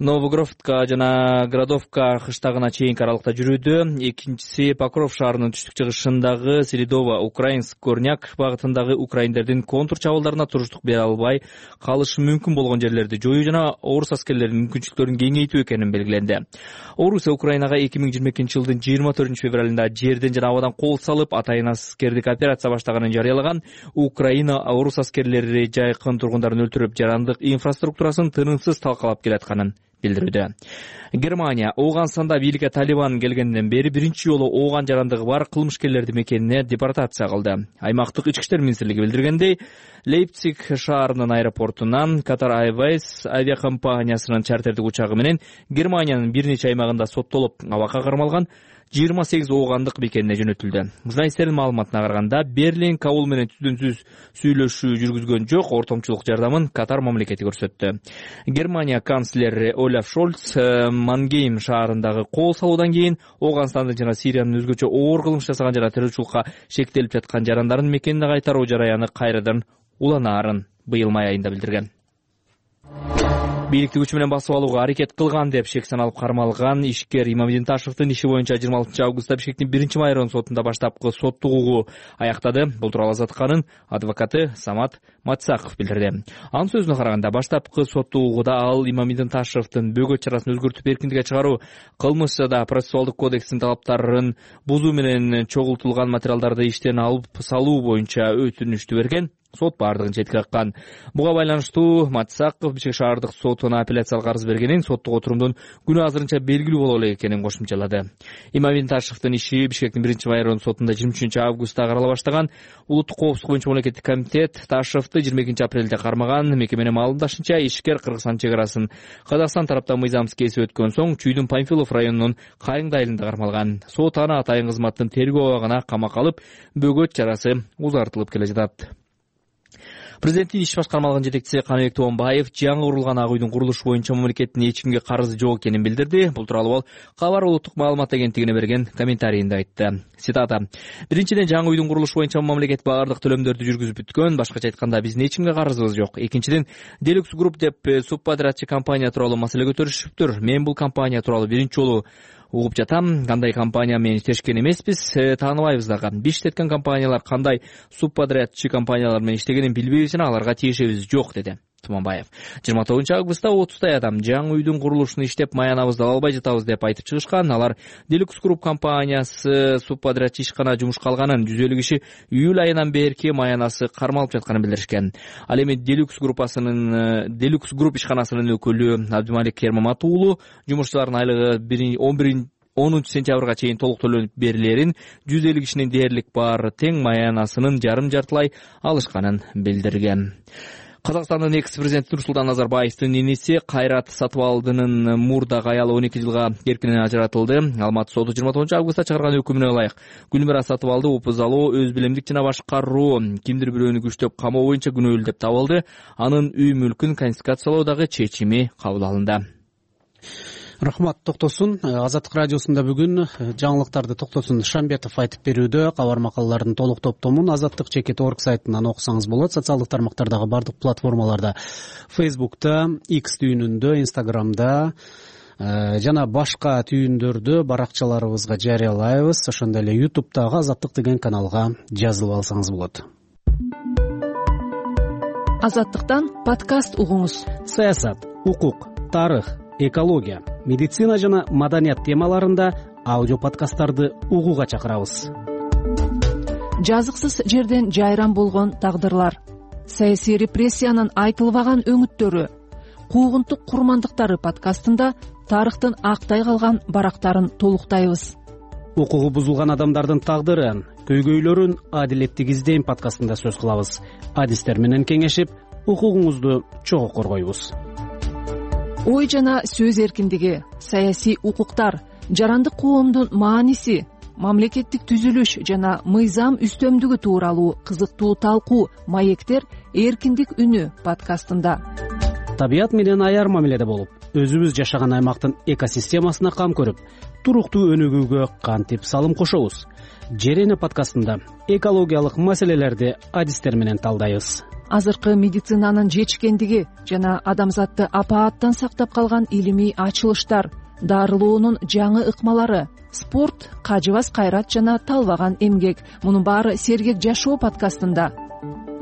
Новогродка жана Градовка кыштагына чейинки аралыкта жүрүүдө. Экинчиси, Покров шаарынын түштүк чыгышындагы Селидово, Украинск, Корняк багытындагы украиндердин контур чабуулдарына туруштук бере албай калышы мүмкүн болгон жерлерди жоюу жана орус аскерлеринин мүмкүнчүлүктөрүн кеңейтүү экенин белгиленди. Орусия Украинага 2022 жылдын 24 февралында жерден жана абадан кол салып, атайын аскердик операция баштаганын жарыялаган. Украина орус аскерлери жайкын тургундарын өлтүрүп, жарандык инфраструктурасын тынымсыз талкалап келатканын билдирүүдө. Германия Ооганстанда бийликке Талибан келгенден бери биринчи жолу ооган жарандыгы бар кылмышкерлерди мекенине депортация кылды. Аймактык ички иштер министрлиги билдиргендей, Лейпциг шаарынын аэропортунан Qatar Airways авиакомпаниясынын чартердик учагы менен Германиянын бир нече аймагында соттолуп, абакка кармалган 28 оогандык мекенине жөнөтүлдү. Журналисттердин маалыматына караганда, Берлин Кабул менен түздөн-түз сүйлөшүү жүргүзгөн жок, ортомчулук жардамын Катар мамлекети көрсөттү. Германия канцлери Олаф Шольц Мангейм шаарындагы кол салуудан кийин Ооганстандын жана Сириянын өзгөчө оор кылмыш жасаган жана террорчулукка шектелип жаткан жарандарын мекенине кайтаруу жараяны кайрадан уланаарын быйыл май айында билдирген. Бийликти күч менен басып алууга аракет кылган деп шек саналып кармалган ишкер Имамидин Ташевдин иши боюнча 26 августта Бишкектин 1 район сотунда баштапкы соттук угуу аяктады. Бул тууралуу Азаттыканын адвокаты Самат Матсаков билдирди. Анын сөзүнө караганда, баштапкы соттук угууда ал Имамидин Ташевдин бөгөт чарасын өзгөртүп эркиндикке чыгаруу, кылмыш жада процессуалдык кодекстин талаптарын бузуу менен чогултулган материалдарды иштен алып салуу боюнча өтүнүштү берген. Сот бардыгын четке каккан. Буга байланыштуу Матсаков Бишкек шаардык сотуна апелляциялык арыз бергенин, соттук отурумдун күнү азырынча белгилүү боло элек экенин кошумчалады. Имамидин Ташевдин иши Бишкектин 1 район сотунда 23 августта карала баштаган. Улуттук коопсуздук боюнча мамлекеттик комитет Ташевди 22 апрелде кармаган. Мекеменин маалымдашынча, ишкер Кыргызстан чек арасын Казакстан тараптан мыйзамсыз кесип өткөн соң Чүйдүн Памфилов районунун Кайыңды айылында кармалган. Сот аны атайын кызматтын тергөө абагына камакка алып, бөгөт чарасы узартылып келе жатат. Президенттин иш башкармалыгынын жетекчиси Каныбек Тоонбаев жаңы курулган Ак үйдүн курулушу боюнча мамлекеттин эч кимге карызы жок экенин билдирди. Бул тууралуу ал Кабар улуттук маалымат агенттигине берген комментарийинде айтты. Цитата: "Биринчиден, жаңы үйдүн курулушу боюнча мамлекет баардык төлөмдөрдү жүргүзүп бүткөн. Башкача айтканда, биздин эч кимге карызыбыз жок. Экинчиден, Deluxe Group деп субподрядчы компания тууралуу маселе көтөрүшүптүр. Мен бул компания тууралуу биринчи жолу угуп жатам. Кандай компания менен иштешкен эмеспиз, тааныбайбыз дагы. Биз иштеткен компаниялар кандай субподрядчы компаниялар менен иштегенин билбейбиз жана аларга тиешебиз жок", деди. Туманбаев. 29 августта 30 адам жаңы үйдүн курулушун иштеп маянабызды ала албай жатабыз деп айтып чыгышкан. Алар Deluxe Group компаниясы субподрядчы ишкана жумушка алганын, 150 киши июль айынан берки маянасы кармалып жатканын билдиришкен. Ал эми Deluxe Group ишканасынын өкүлү Абдымалик Кермамат уулу жумушчулардын айлыгы 10 сентябрга чейин толук төлөнүп берилерин, 150 кишинин дээрлик бар тең маянасынын жарым-жартылай алышканын билдирген. Казакстандын экс-президенти Нурсултан Назарбаевдин иниси Кайрат Сатыбалдынын мурдагы аялы 12 жылга эркинен ажыратылды. Алматы соду 29 августта чыгарган өкүмүнө ылайык Гүлмира Сатыбалды опузалоо, өз билимдик жана башкаруу, кимдир бирөөнү күчтөп камоо боюнча күнөөлүү деп табылды. Анын үй мүлкүн конфискациялоодагы чечими кабыл алынды. Рахмат токтосун. Азаттык радиосунда бүгүн жаңылыктарды Токтосун Шамбетов айтып берүүдө. Кабар макалалардын толук топтомун azattik.org сайтынан окусаңыз болот. Социалдык тармактардагы бардык платформаларда, Facebook'та, X түйүнүндө, Instagram'да жана башка түйүндөрдө баракчаларыбызга жарыялайбыз. Ошондой эле YouTube'дагы Азаттык деген каналга жазылып алсаңыз болот. Азаттыктан подкаст угуңуз. Саясат, укук, тарых, экология, медицина жана маданият темаларында аудио подкасттарды угууга чакырабыз. Жазыксыз жерден жайран болгон тагдырлар, саясий репрессиянын айтылбаган өңүттөрү, куугунтук курмандыктары подкастында тарыхтын актай калган барактарын толуктайбыз. Укугу бузулган адамдардын тагдырын, көйгөйлөрүн адилеттик издейм подкастында сөз кылабыз. Адистер менен кеңешип, укугуңузду чогуу коргойбуз. Ой жана сөз эркиндиги, саясий укуктар, жарандык коомдун мааниси, мамлекеттик түзүлүш жана мыйзам үстөмдүгү тууралуу кызыктуу талкуу маектер эркиндик үнү подкастында. Табият менен аяр мамиледе болуп, өзүбүз жашаган аймактын экосистемасына кам көрүп, туруктуу өнүгүүгө кантип салым кошобуз? Жер эне подкастында экологиялык маселелерди адистер менен талдайбыз. Азыркы медицинанын жетишкендиги жана адамзатты апааттан сактап калган илимий ачылыштар, дарылоонун жаңы ыкмалары, спорт, кажыбас кайрат жана талбаган эмгек. Мунун баары сергек жашоо подкастында.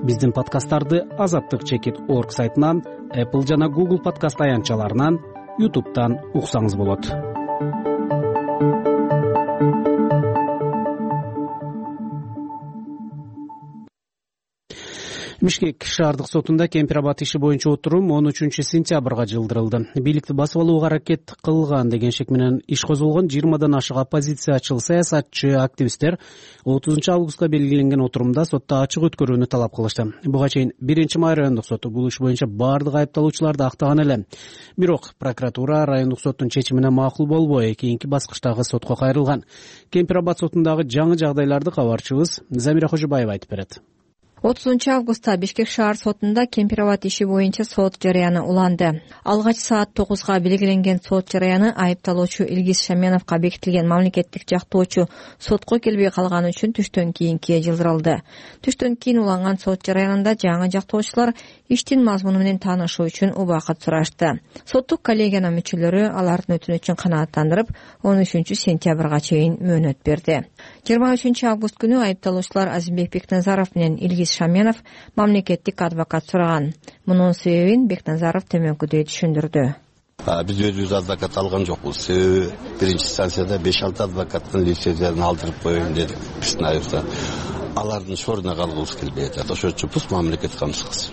Биздин подкасттарды azattik.org сайтынан, Apple жана Google подкаст аянтчаларынан, YouTube'дан уксаңыз болот. Бишкек шаардык сотунда Кемпир-Абад иши боюнча отурум 13 сентябрга жылдырылды. Бийликти басып алууга аракет кылган деген шек менен иш козголгон 20дан ашык оппозициячыл саясатчы, активисттер 30 августка белгиленген отурумда сотто ачык өткөрүүнү талап кылышты. Буга чейин 1-май райондук соту бул иш боюнча бардык айыпталуучуларды актаган эле. Бирок прокуратура райондук соттун чечимине макул болбой, кийинки баскычтагы сотко кайрылган. Кемпир-Абад сотундагы жаңы жагдайларды кабарчыбыз Замира Кожобаева айтып берет. 30 августта Бишкек шаар сотунда Кемпир-Абад иши боюнча сот жарыяны уланды. Алгач саат 9га белгиленген сот жарыяны айыпталуучу Илгиз Шаменовго бекитилген мамлекеттик жактоочу сотко келбей калганы үчүн түштөн кийинки жылдырылды. Түштөн кийин уланган сот жарыянында жаңы жактоочулар иштин мазмуну менен таанышуу үчүн убакыт сурашты. Соттук коллегиянын мүчөлөрү алардын өтүнүчүн канааттандырып, 13 сентябрга чейин мөөнөт берди. 23 август күнү айыпталуучулар Азимбек Бекназаров менен Илгиз Шаменов мамлекеттик адвокат сураган. Мунун себебин Бекназаров төмөнкүдөй түшүндүрдү. Биз өзүбүз адвокат алган жокпуз. Себеби биринчи станцияда 5-6 адвокаттын лицензиясын алдырып коеюн дедик. Биздин айыбызда алардын шоруна калгыбыз келбей атат. Ошон үчүн бул мамлекет камсыз.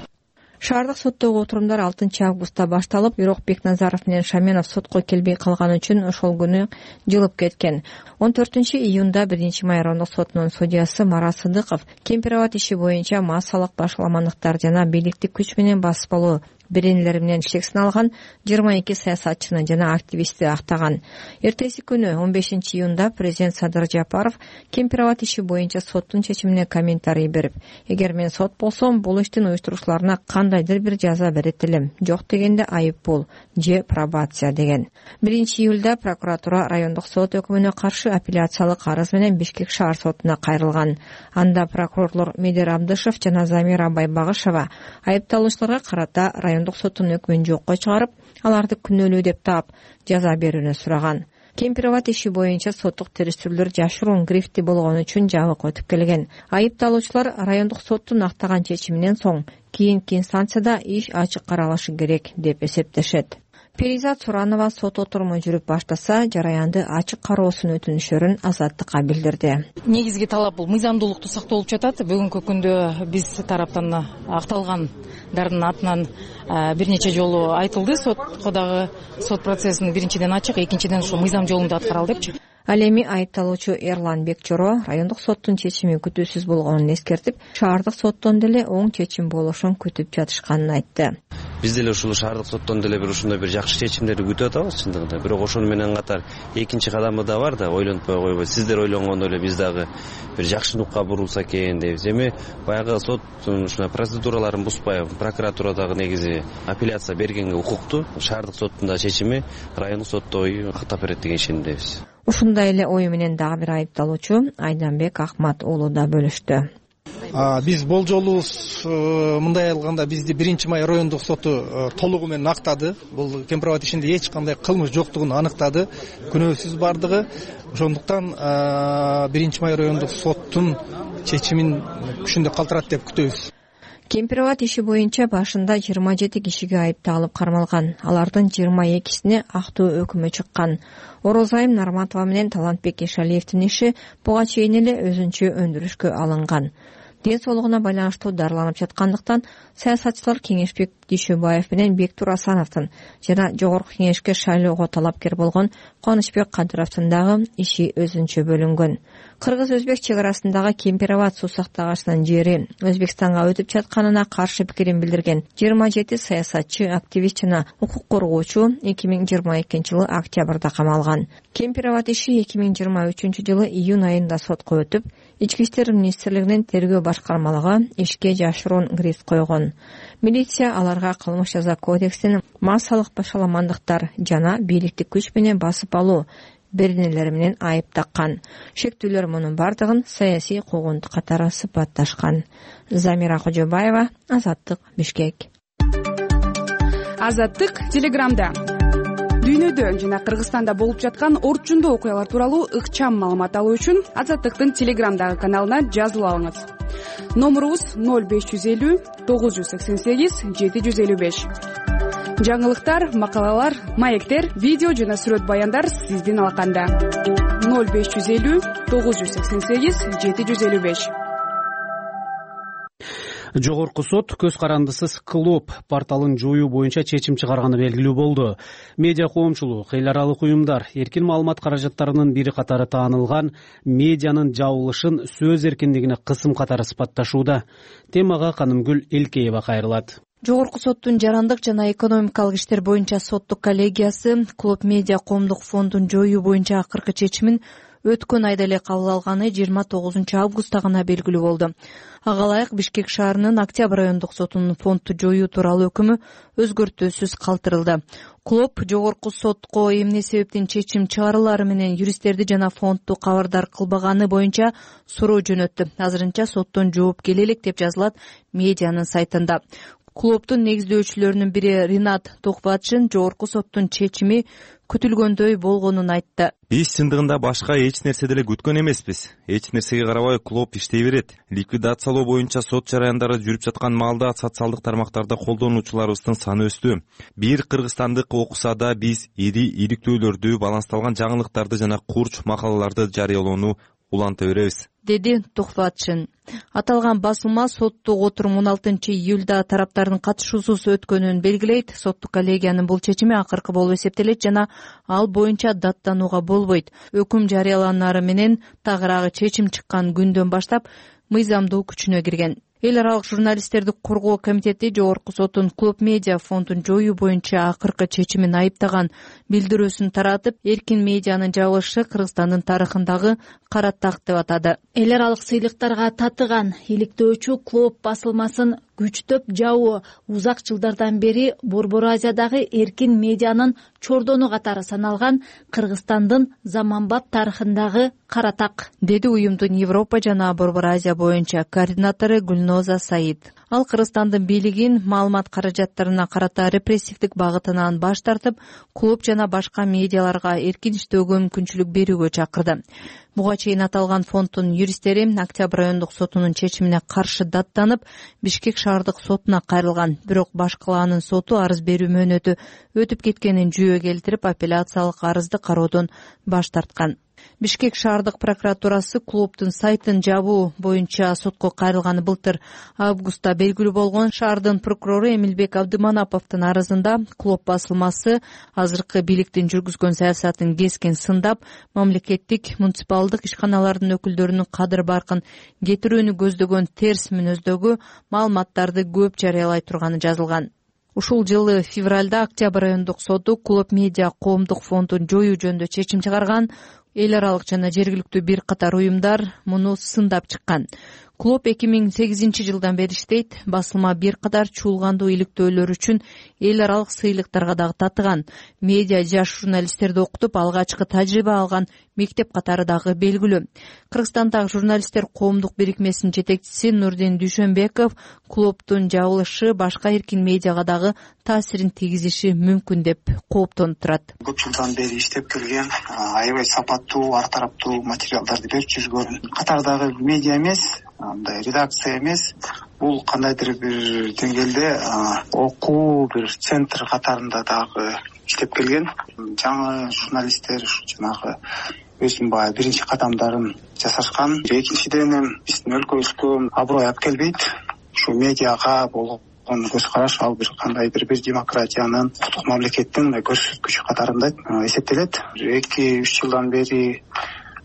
Шаардык соттогу отурумдар 6 августта башталып, бирок Бекназаров менен Шаменов сотко келбей калганы үчүн ошол күнү жылып кеткен. 14 июнда 1-май райондук сотунун судьясы Марат Сыдыков Кемпир-Абад иши боюнча массалык башаламандыктар жана бийликтик күч менен басып алуу беренелери менен шек сыналган 22 саясатчыны жана активистти актаган. Эртеси күнү 15 июнда президент Садыр Жапаров Кемпир-Абад иши боюнча соттун чечимине комментарий берип, эгер мен сот болсом, бул иштин уюштуруучуларына кандайдыр бир жаза берет элем, жок дегенде айып бул же пробация деген. 1 июлда прокуратура райондук сот өкүмүнө каршы апелляциялык арыз менен Бишкек шаар сотуна кайрылган. Анда прокурорлор Медер Абдышев жана Замира Байбагышева айыпталуучуларга карата райондук соттун өкмүн жокко чыгарып, аларды күнөөлүү деп таап, жаза берүүнү сураган. Кемпир-Абад иши боюнча соттук териштирүүлөр жашыруун грифти болгон үчүн жабык өтүп келген. Айыпталуучулар райондук соттун актаган чечиминен соң кийинки инстанцияда иш ачык каралышы керек деп эсептешет. Перизат Суранова сот отуруму жүрүп баштаса, жараянды ачык кароосун өтүнүшөрүн Азаттыкка билдирди. Негизги талап бул мыйзамдуулукту сактоолуп жатат. Бүгүнкү күндө биз тараптан акталгандардын атынан бир нече жолу айтылды. Сотко дагы сот процессин биринчиден ачык, экинчиден ушул мыйзам жолунда аткаралы депчи. Ал эми айыпталуучу Эрлан Бекчоро райондук соттун чечими күтүүсүз болгонун эскертип, шаардык соттон деле оң чечим болушун күтүп жатышканын айтты. Биз деле ушул шаардык соттон деле ушундай бир жакшы чечимдерди күтүп атабыз чындыгында. Бирок ошону менен катар экинчи кадамы да бар да, ойлонтпой койбойт. Сиздер ойлонгондой эле биз дагы бир жакшы нукка бурулса экен дейбиз. Эми баягы соттун ушундай процедураларын бузбай, прокуратура дагы негизи апелляция бергенге укуктуу. Шаардык соттун да чечими райондук соттой каттап берет деген ишенимдебиз. Ушундай эле ою менен дагы бир айыпталуучу Айданбек Акмат уулу да бөлүштү. Биз болжолу мындай алганда бизди 1-май райондук соту толугу менен актады. Бул Кемпир-Абад ишинде эч кандай кылмыш жоктугун аныктады. Күнөөсүз бардыгы. Ошондуктан 1-май райондук соттун чечимин күчүндө калтырат деп күтөбүз. Кемпир-Абад иши боюнча башында 27 кишиге айыпталып кармалган. Алардын 22сине актуу өкүмү чыккан. Орозайым Нарматова менен Талантбек Ишалиевдин иши буга чейин эле өзүнчө өндүрүшкө алынган. Ден соолугуна байланыштуу дарыланып жаткандыктан саясатчылар Кеңешбек Дүйшөбаев менен Бектур Асановдун жана жогорку кеңешке шайлоого талапкер болгон Кубанычбек Кадыровдун дагы иши өзүнчө бөлүнгөн. Кыргыз-өзбек чек арасындагы Кемпир-Абад суу сактагычынын жери Өзбекстанга өтүп жатканына каршы пикирин билдирген 27 саясатчы, активист жана укук коргоочу 2022-жылы октябрда камалган. Кемпир-Абад иши 2023-жылы июнь айында сотко өтүп, Ички иштер министрлигинин тергөө башкармалыгы ишке жашыруун грифт койгон. Милиция аларга кылмыш жаза кодексинин массалык башаламандыктар жана бийликтик күч менен басып алуу беренелери менен айып таккан. Шектүүлөр мунун бардыгын саясий куугунтук катары сыпатташкан. Замира Кожобаева, Азаттык, Бишкек. Азаттык Телеграмда. Дүйнөдө жана Кыргызстанда болуп жаткан орчундуу окуялар тууралуу ыкчам маалымат алуу үчүн Азаттыктын Телеграмдагы каналына жазылып алыңыз. Номурубуз 0550 988 755. Жаңылыктар, макалалар, маектер, видео жана сүрөт баяндар сиздин алаканда. 0550 988 755. Жогорку сот көз карандысыз Клоп порталын жоюу боюнча чечим чыгарганы белгилүү болду. Медиа коомчулук, эл аралык уюмдар эркин маалымат каражаттарынын бири катары таанылган медианын жабылышын сөз эркиндигине кысым катары сыпатташууда. Темага Канымгүл Элкеева кайрылат. Жогорку соттун жарандык жана экономикалык иштер боюнча соттук коллегиясы Клоп медиа коомдук фондун жоюу боюнча акыркы чечимин өткөн айда эле кабыл алганы 29-августта гана белгилүү болду. Ага ылайык Бишкек шаарынын Октябрь райондук сотунун фондду жоюу тууралуу өкүмү өзгөртүүсүз калтырылды. Клоп жогорку сотко эмне себептен чечим чыгарылары менен юристтерди жана фондду кабардар кылбаганы боюнча суроо жөнөттү. Азырынча соттон жооп келе элек деп жазылат медианын сайтында. Клоптун негиздөөчүлөрүнүн бири Ринат Токбатшин жогорку соттун чечими күтүлгөндөй болгонун айтты. Биз чындыгында башка эч нерсе деле күткөн эмеспиз. Эч нерсеге карабай Клоп иштей берет. Ликвидациялоо боюнча сот жараяндары жүрүп жаткан маалда социалдык тармактарда колдонуучуларыбыздын саны өстү. Бир кыргызстандык окуса да биз ири иликтөөлөрдү, балансталган жаңылыктарды жана курч макалаларды жарыялоону уланта беребиз, деди Токбатшин. Аталган басылма соттук отурум 16-июлда тараптардын катышуусуз өткөнүн белгилейт. Соттук коллегиянын бул чечими акыркы болуп эсептелет жана ал боюнча даттанууга болбойт. Өкүм жарыяланары менен тагыраагы чечим чыккан күндөн баштап мыйзамдуу күчүнө кирген. Эл аралык журналисттерди коргоо комитети жогорку соттун Клоп медиа фондун жоюу боюнча акыркы чечимин айыптаган билдирүүсүн таратып, эркин медианын жабылышы Кыргызстандын тарыхындагы кара так деп атады. Эл аралык сыйлыктарга татыган иликтөөчү Клоп басылмасын күчтөп жабуу узак жылдардан бери Борбор Азиядагы эркин медианын чордону катары саналган Кыргызстандын заманбап тарыхындагы кара так, деди уюмдун Европа жана Борбор Азия боюнча координатору Гүлноза Саид. Ал Кыргызстандын бийлигин маалымат каражаттарына карата репрессивдик багытынан баш тартып, клуб жана башка медиаларга эркин иштөөгө мүмкүнчүлүк берүүгө чакырды. Буга чейин аталган фонддун юристтери Октябрь райондук сотунун чечимине каршы даттанып, Бишкек шаардык сотуна кайрылган. Бирок башкалаанын соту арыз берүү мөөнөтү өтүп кеткенин жүйө келтирип, апелляциялык арызды кароодон баш тарткан. Бишкек шаардык прокуратурасы клубдун сайтын жабуу боюнча сотко кайрылганы былтыр августта белгилүү болгон. Шаардын прокурору Эмилбек Абдыманаповдун арызында клуб басылмасы азыркы бийликтин жүргүзгөн саясатын кескен сындап, мамлекеттик муниципалдык ишканалардын өкүлдөрүнүн кадыр баркын кетирүүнү көздөгөн терс мүнөздөгү маалыматтарды көп жарыялай турганы жазылган. Ушул жылы февралда Октябрь райондук соту клуб медиа коомдук фондун жоюу жөнүндө чечим чыгарган. Эл аралык жана жергиликтүү бир катар уюмдар муну сындап чыккан. Клуб 2008 жылдан бери иштейт. Басылма бир катар чуулгандуу иликтөөлөр үчүн эл аралык сыйлыктарга дагы татыган. Медиа жаш журналисттерди окутуп, алгачкы тажрыйба алган мектеп катары дагы белгилүү. Кыргызстандагы журналисттер коомдук бирикмесинин жетекчиси Нурдин Дүйшөнбеков клубдун жабылышы башка эркин медиага дагы таасирин тийгизиши мүмкүн деп кооптонуп турат. Көп жылдан бери иштеп келген, аябай сапаттуу, ар тараптуу материалдарды берип жүргөн катардагы медиа эмес, мындай редакция эмес, бул кандайдыр бир деңгээлде окуу бир центр катарында дагы иштеп келген. Жаңы журналисттер жанагы өзүнүн баягы биринчи кадамдарын жасашкан. Экинчиден биздин өлкөбүзгө аброй алып келбейт. Ушу медиага болгон көз караш ал бир кандайдыр бир демократиянын, укуктук мамлекеттин көрсөткүчү катарында эсептелет. 2-3 жылдан бери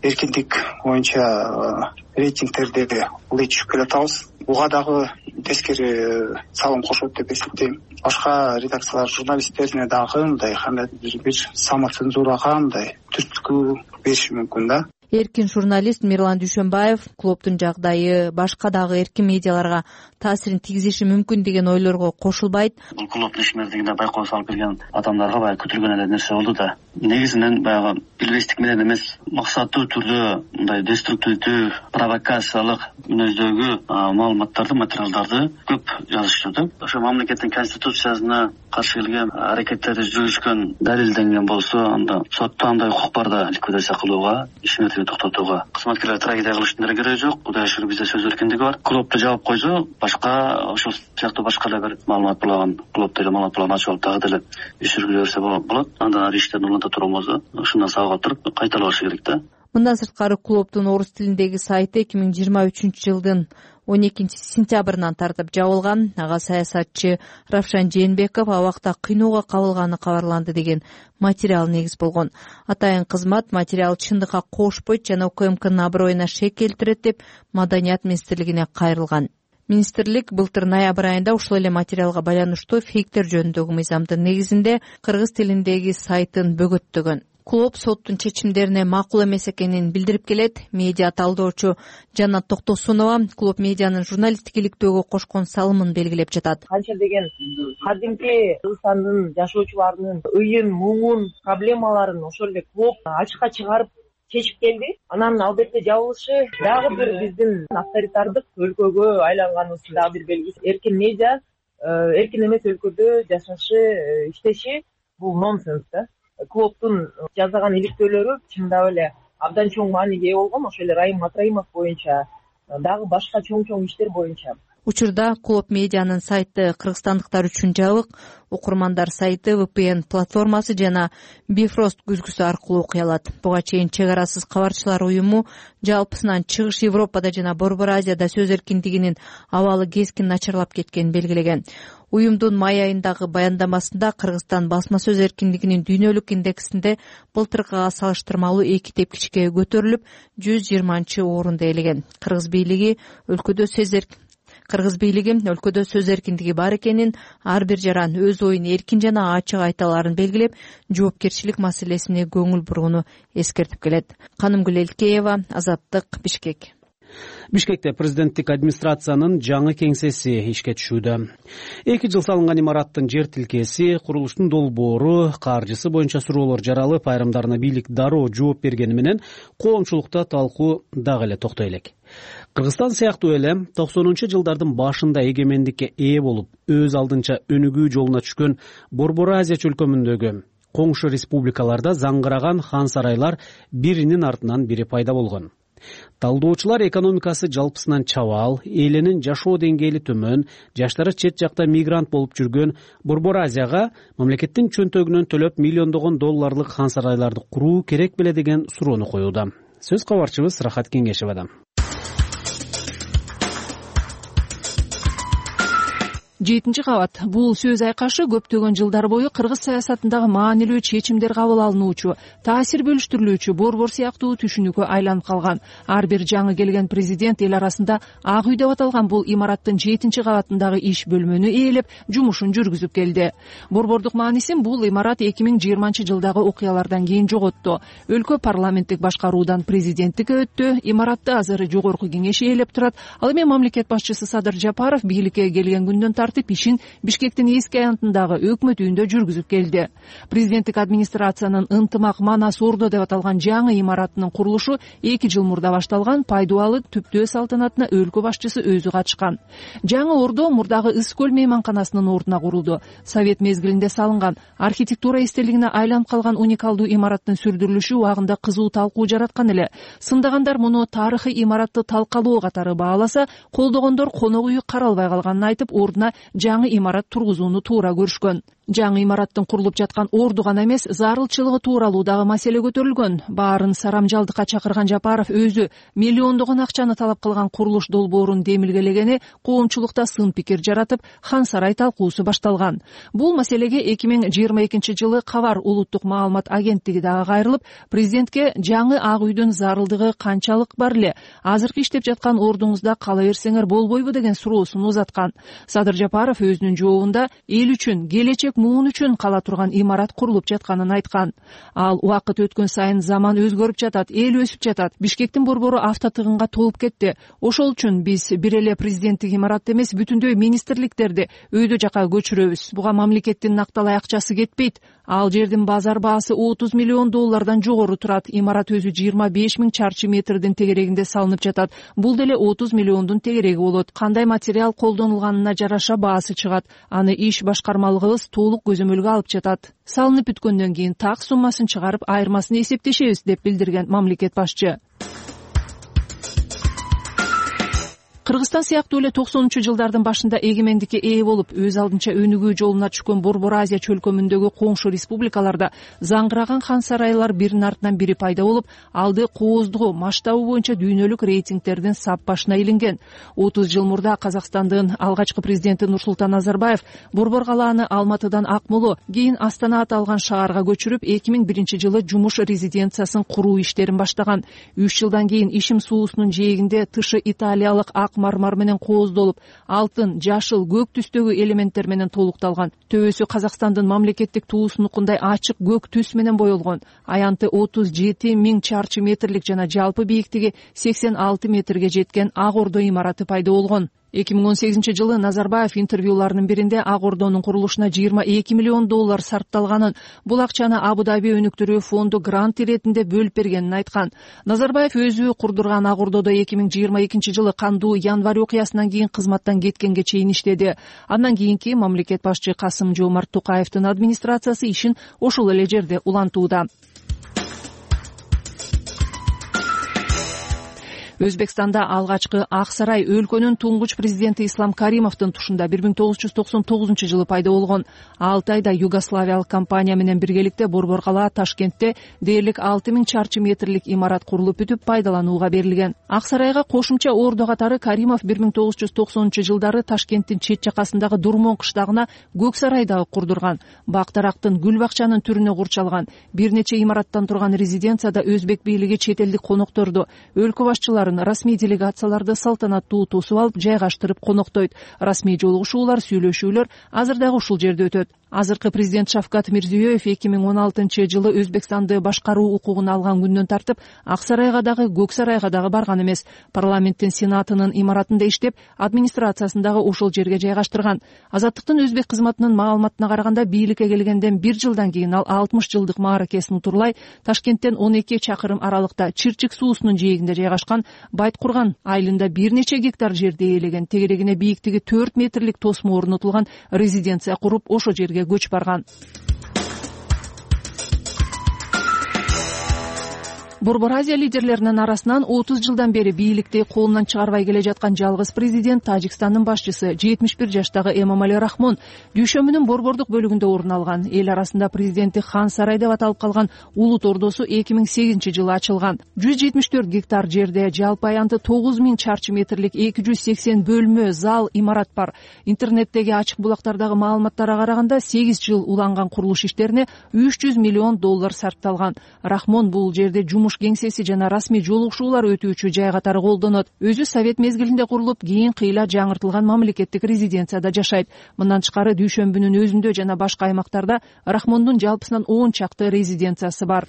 эркиндик боюнча рейтингтерде ылдый түшүп келатабыз. Буга дагы тескери салым кошот деп эсептейм. Башка редакциялар журналисттерине дагы мындай кандайдыр бир самоцензурага мындай түрткү бериши мүмкүн да. Эркин журналист Мирлан Дүйшөнбаев клубдун жагдайы башка дагы эркин медиаларга таасирин тийгизиши мүмкүн деген ойлорго кошулбайт. Бул клубдун ишмердигинде байкоо салып келген адамдарга баягы күтүлгөн эле нерсе болду да. Негизинен баягы билбестик менен эмес, максаттуу түрдө мындай деструктивдүү, провокациялык мүнөздөгү маалыматтарды, материалдарды көп жазышты да. Ошо мамлекеттин конституциясына каршы келген аракеттерди жүргүзгөн, далилденген болсо, анда сотто андай укук бар да ликвидация кылууга, ишмердикти токтотууга. Кызматкерлер трагедия кылыштын деле кереги жок. Кудайга шүгүр бизде сөз эркиндиги бар. Клубду жаап койсо, башка ошол сыяктуу башка эле бир маалымат булаган, клубду эле маалымат булаган ачып алып дагы деле иш жүргүзө берсе болот. Андан ары иштерин уланта турган болсо, ушундан сабак алып туруп кайталашы керек да. Мындан сырткары клубдун орус тилиндеги сайты 2023 жылдын 12 сентябрынан тартып жабылган. Ага саясатчы Равшан Жээнбеков абакта кыйноого кабылганы кабарланды деген материал негиз болгон. Атайын кызмат материал чындыкка кошпойт жана УКМКнын аброюна шек келтирет деп Маданият министрлигине кайрылган. Министрлик былтыр ноябрь айында ушул эле материалга байланыштуу фейктер жөнүндөгү мыйзамдын негизинде кыргыз тилиндеги сайтын бөгөттөгөн. Клуб соттун чечимдерине макул эмес экенин билдирип келет. Медиа талдоочу Жанат Токтосунова клуб медианын журналисттик иликтөөгө кошкон салымын белгилеп жатат. Канча деген кадимки Кыргызстандын жашоочуларынын ыйын, муңун, проблемаларын ошол эле клуб ачыкка чыгарып чечип келди. Анан албетте жабылышы дагы бир биздин авторитардык өлкөгө айланганыбыздын дагы бир белгиси. Эркин медиа эркин эмес өлкөдө жашашы, иштеши бул нонсенс да. Клубдун жасаган иликтөөлөрү чындап эле абдан чоң мааниге ээ болгон. Ошол эле Райым Матраимов боюнча дагы башка чоң иштер боюнча. Учурда клуб медианын сайты кыргызстандыктар үчүн жабык. Окурмандар сайты VPN платформасы жана Bifrost күзгүсү аркылуу окуй алат. Буга чейин Чек арасыз кабарчылар уюму жалпысынан Чыгыш Европада жана Борбор Азияда сөз эркиндигинин абалы кескин начарлап кеткенин белгилеген. Уюмдун май айындагы баяндамасында Кыргызстан басма сөз эркиндигинин дүйнөлүк индексинде былтыркыга салыштырмалуу 2 тепкичке көтөрүлүп, 120-орунду ээлеген. Кыргыз бийлиги өлкөдө сөз эркиндиги бар экенин, ар бир жаран өз оюн эркин жана ачык айта аларын белгилеп, жоопкерчилик маселесине көңүл бурууну эскертип келет. Канымгүл Элкеева, Азаттык, Бишкек. Бишкекте президенттик администрациянын жаңы кеңсеси ишке түшүүдө. 2 жыл салынган имараттын жер тилкеси, курулуштун долбоору, каржысы боюнча суроолор жаралып, айрымдарына бийлик дароо жооп бергени менен коомчулукта талкуу дагы эле токтой элек. Кыргызстан сыяктуу эле 90-жылдардын башында эгемендикке ээ болуп, өз алдынча өнүгүү жолуна түшкөн Борбор Азия чөлкөмүндөгү коңшу республикаларда заңгыраган хан сарайлар биринин артынан бири пайда болгон. Талдоочулар экономикасы жалпысынан чабал, элинин жашоо деңгээли төмөн, жаштары чет жакта мигрант болуп жүргөн Борбор Азияга мамлекеттин чөнтөгүнөн төлөп миллиондогон долларлык хан сарайларды куруу керек беле деген суроону коюуда. Сөз кабарчыбыз Рахат Кеңешевадан. 7-кабат. Бул сөз айкашы көптөгөн жылдар бою кыргыз саясатындагы маанилүү чечимдер кабыл алынуучу, таасир бөлүштүрүлүүчү борбор сыяктуу түшүнүккө айланып калган. Ар бир жаңы келген президент эл арасында Ак үй деп аталган бул имараттын 7-кабатындагы иш бөлмөнү ээлеп, жумушун жүргүзүп келди. Борбордук маанисин бул имарат 2020-жылдагы окуялардан кийин жоготту. Өлкө парламенттик башкаруудан президенттикке өттү. Имаратты азыр жогорку кеңеш ээлеп турат. Ал эми мамлекет башчысы Садыр Жапаров бийликке келген күндөн ишин Бишкектин эски аянтындагы өкмөт үйүндө жүргүзүп келди. Президенттик администрациянын ынтымак Манас Ордо деп аталган жаңы имараттын курулушу 2 жыл мурда башталган. Пайдубалы түптөө салтанатына өлкө башчысы өзү катышкан. Жаңы Ордо мурдагы Ыс көл мейманканасынын ордуна курулду. Совет мезгилинде салынган, архитектура эстелигине айланып калган уникалдуу имараттын сүрдүрүлүшү убагында кызуу талкуу жараткан эле. Сындагандар муну тарыхый имаратты талкалоо катары бааласа, колдогондор конок үйү каралбай калганын айтып, ордуна жаңы имарат тургузууну туура көрүшкөн. Жаңы имараттын курулуп жаткан орду гана эмес, зарылчылыгы тууралуу дагы маселе көтөрүлгөн. Баарын сарамжалдыкка чакырган Жапаров өзү миллиондогон акчаны талап кылган курулуш долбоорун демилгелегени коомчулукта сын пикир жаратып, хан сарай талкуусу башталган. Бул маселеге 2022-жылы Кабар улуттук маалымат агенттиги дагы кайрылып, президентке жаңы Ак үйдүн зарылдыгы канчалык бар эле, азыркы иштеп жаткан ордуңузда кала берсеңер болбойбу деген суроосун узаткан. Садыр Жапаров өзүнүн жообунда эл үчүн, келечек муун үчүн кала турган имарат курулуп жатканын айткан. Ал убакыт өткөн сайын заман өзгөрүп жатат, эл өсүп жатат. Бишкектин борбору автотыгынга толуп кетти. Ошол үчүн биз бир эле президенттик имаратты эмес, бүтүндөй министрликтерди өйдө жака көчүрөбүз. Буга мамлекеттин накталай акчасы кетпейт. Ал жердин базар баасы 30 миллион доллардан жогору турат. Имарат өзү 25 000 чарчы метрдин тегерегинде салынып жатат. Бул деле 30 миллиондун тегереги болот. Кандай материал колдонулганына жараша баасы чыгат. Аны иш башкармалыгыбыз толук көзөмөлгө алып жатат. Салынып бүткөндөн кийин так суммасын чыгарып, айырмасын эсептешебиз деп билдирген мамлекет башчы. Кыргызстан сыяктуу эле 90-жылдардын башында эгемендикке ээ болуп, өз алдынча өнүгүү жолуна түшкөн Борбор Азия чөлкөмүндөгү коңшу республикаларда заңгыраган хан сарайлар биринин артынан бири пайда болуп, алды кооздугу, масштабы боюнча дүйнөлүк рейтингтердин сап башына илинген. 30 жыл мурда Казакстандын алгачкы президенти Нурсултан Назарбаев Борбор калааны Алматыдан Акмолу, кийин Астана аталган шаарга көчүрүп, 2001-жылы жумуш резиденциясын куруу иштерин баштаган. 3 жылдан кийин ишим суусунун жээгинде тышы италиялык мармар менен кооздолуп, алтын, жашыл, көк түстөгү элементтер менен толукталган. Төбөсү Казакстандын мамлекеттик туусунукундай ачык көк түс менен боелгон. Аянты 37 000 чарчы метрлик жана жалпы бийиктиги 86 метрге жеткен Ак Ордо имараты пайда болгон. 2018-жылы Назарбаев интервьюларынын биринде Ак Ордонун курулушуна 22 миллион доллар сарпталганын, бул акчаны Абу-Даби өнүктүрүү фонду грант иретинде бөлүп бергенин айткан. Назарбаев өзү курдурган Ак Ордодо 2022-жылы кандуу январь окуясынан кийин кызматтан кеткенге чейин иштеди. Андан кийинки мамлекет башчы Касым-Жомарт Токаевдин администрациясы ишин ошол эле жерде улантууда. Өзбекстанда алгачкы Ак сарай өлкөнүн туңгуч президенти Ислам Каримовдун тушунда 1999-жылы пайда болгон. 6 айда Югославиялык компания менен биргеликте Борбор калаа Ташкентте дээрлик 6000 чарчы метрлик имарат курулуп бүтүп пайдаланууга берилген. Ак сарайга кошумча ордо катары Каримов 1990-жылдары Ташкенттин чет жакасындагы Дурмон кыштагына Көк сарай дагы курдурган. Бак-дарактын, гүл бакчанын түрүнө курчалган. Бир нече имараттан турган резиденцияда өзбек бийлиги чет элдик конокторду, өлкө башчыларын, расмий делегацияларды салтанаттуу тосуп алып жайгаштырып коноктойт. Расмий жолугушуулар, сүйлөшүүлөр азыр дагы ушул жерде өтөт. Азыркы президент Шавкат Мирзиёев 2016-жылы Өзбекстанды башкаруу укугун алган күндөн тартып Ак сарайга дагы, Көк сарайга дагы барган эмес. Парламенттин сенатынын имаратында иштеп, администрациясын дагы ошол жерге жайгаштырган. Азаттыктын өзбек кызматынын маалыматына караганда, бийликке келгенден 1 жылдан кийин ал 60 жылдык мааракесин утурлай Ташкенттен 12 чакырым аралыкта Чырчык суусунун жээгинде жайгашкан Байткурган айылында бир нече гектар жерди ээлеген, тегерегине бийиктиги 4 метрлик тосмо орнотулган резиденция куруп, ошо жерге көч барган. Борбор Азия лидерлеринин арасынан 30 жылдан бери бийликти колунан чыгарбай келе жаткан жалгыз президент Тажикстандын башчысы 71 жаштагы Эмомали Рахмон дүйшөмбүнүн борбордук бөлүгүндө орун алган. Эл арасында президенттик хан сарай деп аталып калган Улут Ордосу 2008-жылы ачылган. 174 гектар жерде жалпы аянты 9000 чарчы метрлик 280 бөлмө, зал, имарат бар. Интернеттеги ачык булактардагы маалыматтарга караганда 8 жыл уланган курулуш иштерине $300 миллион сарпталган. Рахмон бул жерде жумуш кеңсеси жана расмий жолугушуулар өтүүчү жай катары колдонот. Өзү совет мезгилинде курулуп, кийин кыйла жаңыртылган мамлекеттик резиденцияда жашайт. Мындан тышкары дүйшөмбүнүн өзүндө жана башка аймактарда Рахмондун жалпысынан 10 чакты резиденциясы бар.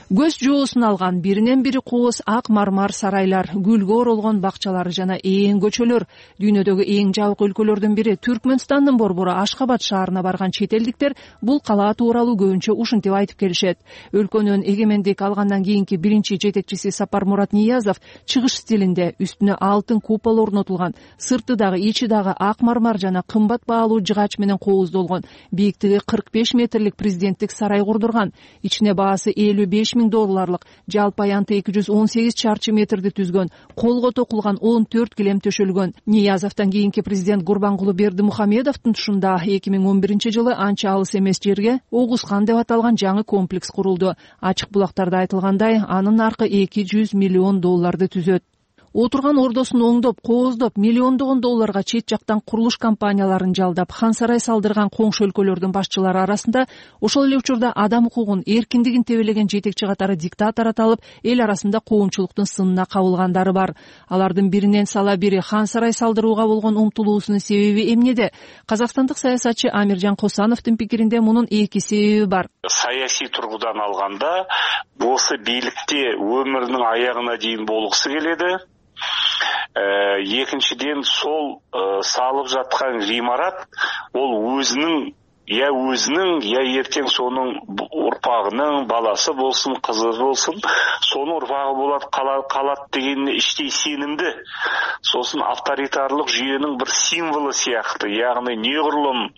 Көз жоосун алган биринен бири кооз ак мармар сарайлар, гүлгө оролгон бакчалар жана ээн көчөлөр. Дүйнөдөгү эң жабык өлкөлөрдүн бири Түркмөнстандын борбору Ашхабад шаарына барган чет элдиктер бул калаа тууралуу көбүнчө ушинтип айтып келишет. Өлкөнүн эгемендик алгандан кийинки биринчи жетекчиси Сапармурат Ниязов чыгыш стилинде үстүнө алтын купол орнотулган, сырты дагы ичи дагы ак мармар жана кымбат баалуу жыгач менен кооздолгон, бийиктиги 45 метрлик президенттик сарай курдурган. Ичине баасы $55 000, жалпы аянты 218 чарчы метрди түзгөн, колго токулган 14 килем төшөлгөн. Ниязовдон кийинки президент Гурбангулы Бердимухамедовдун тушунда 2011-жылы анча алыс эмес жерге Огузхан деп аталган жаңы комплекс курулду. Ачык булактарда айтылгандай, анын наркы $200 миллион түзөт. Отурган ордосун оңдоп, кооздоп, миллиондогон долларга чет жактан курулуш компанияларын жалдап, хан сарай салдырган коңшу өлкөлөрдүн башчылары арасында ошол эле учурда адам укугун, эркиндигин тебелеген жетекчи катары диктатор аталып, эл арасында коомчулуктун сынына кабылгандары бар. Алардын биринен сала бири хан сарай салдырууга болгон умтулуусунун себеби эмнеде? Казакстандык саясатчы Амиржан Косановдун пикиринде мунун эки себеби бар. Саясий тургудан алганда, осы бийликте өмүрүнүн аягына чейин болгусу келеди. Экинчиден сол салып жаткан гимарат ол өзүнүн я эртең сонун урпагынын баласы болсун, кызы болсун, сонун урпагы болот, калат дегенине иштей сенимди. Сосын авторитарлык жүйөнүн бир символу сыяктуу, ягни неғұрлым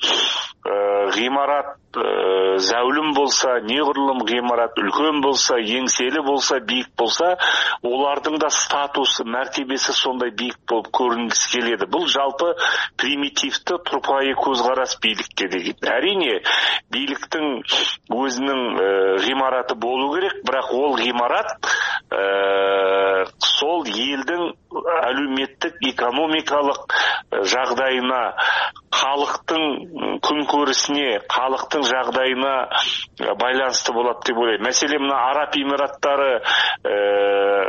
гимарат зәулім болса, неғұрлым гимарат үлкөн болса, еңселі болса, бийик болса, олардың да статусы, мәртебесі сондай бийик болуп көрүнгүсү келеді. Бұл жалпы примитивді турпайы көзқарас бийликке деген. Әрине, бийликтин өзүнүн гимараты болу керек, бірақ ол гимарат сол елдің әлеуметтік, экономикалық жағдайына, халықтың күнкөрісіне, халықтың жағдайына байланысты болады деп ойлаймын. Мәселен, мына Араб Эмираттары,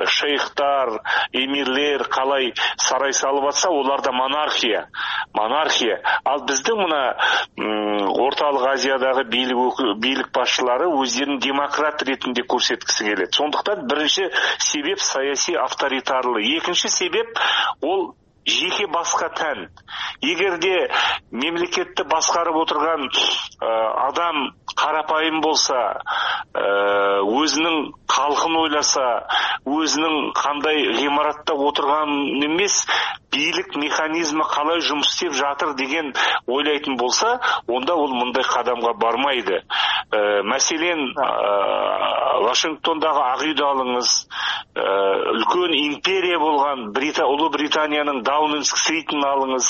шейхтар, эмирлер қалай сарай салып атса, оларда монархия. Ал біздің мына орталық Азиядағы бийлик башчылары өздерін демократ ретінде көрсеткісі келеді. Сондықтан бірінші себеп саяси авторитарлы. Екінші себеп ол жеке басқа тән. Егерде мемлекетті басқарып отырған адам қарапайым болса, өзінің халқын ойласа, өзінің қандай ғимаратта отырған емес, бийлик механизмі қалай жұмыс істеп жатыр деген ойлайтын болса, онда ол мындай қадамға бармайды. Мәселен, Вашингтондағы Ақ үйді алыңыз, үлкен империя болған Ұлы Британияның Даунинг-стритін алыңыз,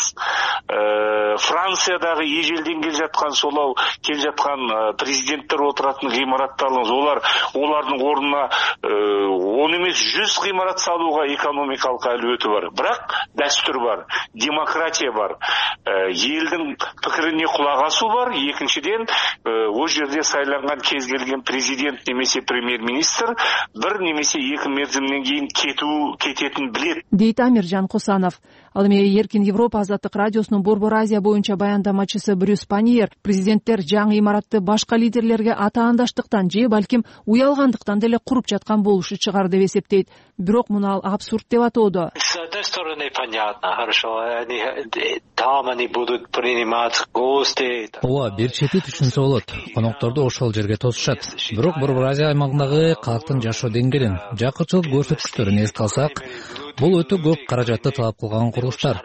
Франциядағы ежелден кел жатқан президенттер отыратын ғимаратты алыңыз. Олардың орнына 10 емес 100 ғимарат салуға экономикалық әлеуеті бар. Бірақ дәстүр бар, демократия бар, елдің пікіріне құлақ асу бар. Екіншіден, о жерде сайланған кез келген президент немесе премьер-министр бір немесе екі мерзімнен кейін кететін білет. Дейт Амиржан Косанов. Ал эми Эркин Европа Азаттык радиосунун Борбор Азия боюнча баяндамачысы Брюс Паньер президенттер жаңы имаратты башка лидерлерге атаандаштыктан же балким уялгандыктан деле куруп жаткан болушу чыгар деп эсептейт. Бирок муну ал абсурд деп атоодо. Ооба, бир чети түшүнсө болот. Конокторду ошол жерге тосушат. Бирок Борбор Азия аймагындагы калктын жашоо деңгээлин, жакырчылык көрсөткүчтөрүн эске алсак, бул өтө көп каражатты талап кылган курулуштар.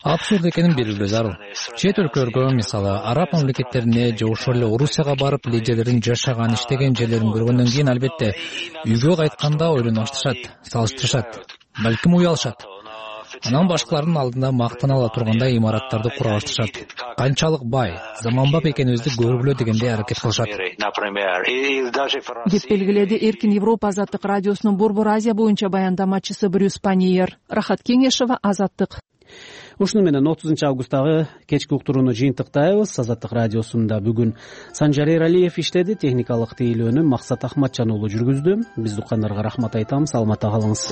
Абсурд экенин билүү зарыл. Чет өлкөлөргө, мисалы, араб мамлекеттерине же ошол эле Орусияга барып лидерлердин жашаган, иштеген жерлерин көргөндөн кийин албетте үйгө кайтканда ойлонуп башташат, салыштырышат, балким уялышат. Анан башкалардын алдында мактана ала тургандай имараттарды кура башташат. Канчалык бай, заманбап экенибизди көргүлө дегенде аракет кылышат. Деп белгиледи Эркин Европа Азаттык радиосунун Борбор Азия боюнча баяндамачысы Брюс Паньер. Рахат Кеңешова, Азаттык. Ушуну менен 30 августтагы кечки уктурууну жыйынтыктайбыз. Азаттык радиосунда бүгүн Санжар Эралиев иштеди, техникалык тейлөөнү Максат Ахматжан уулу жүргүздү. Биз уккандарга рахмат айтамыз, саламатта калыңыз.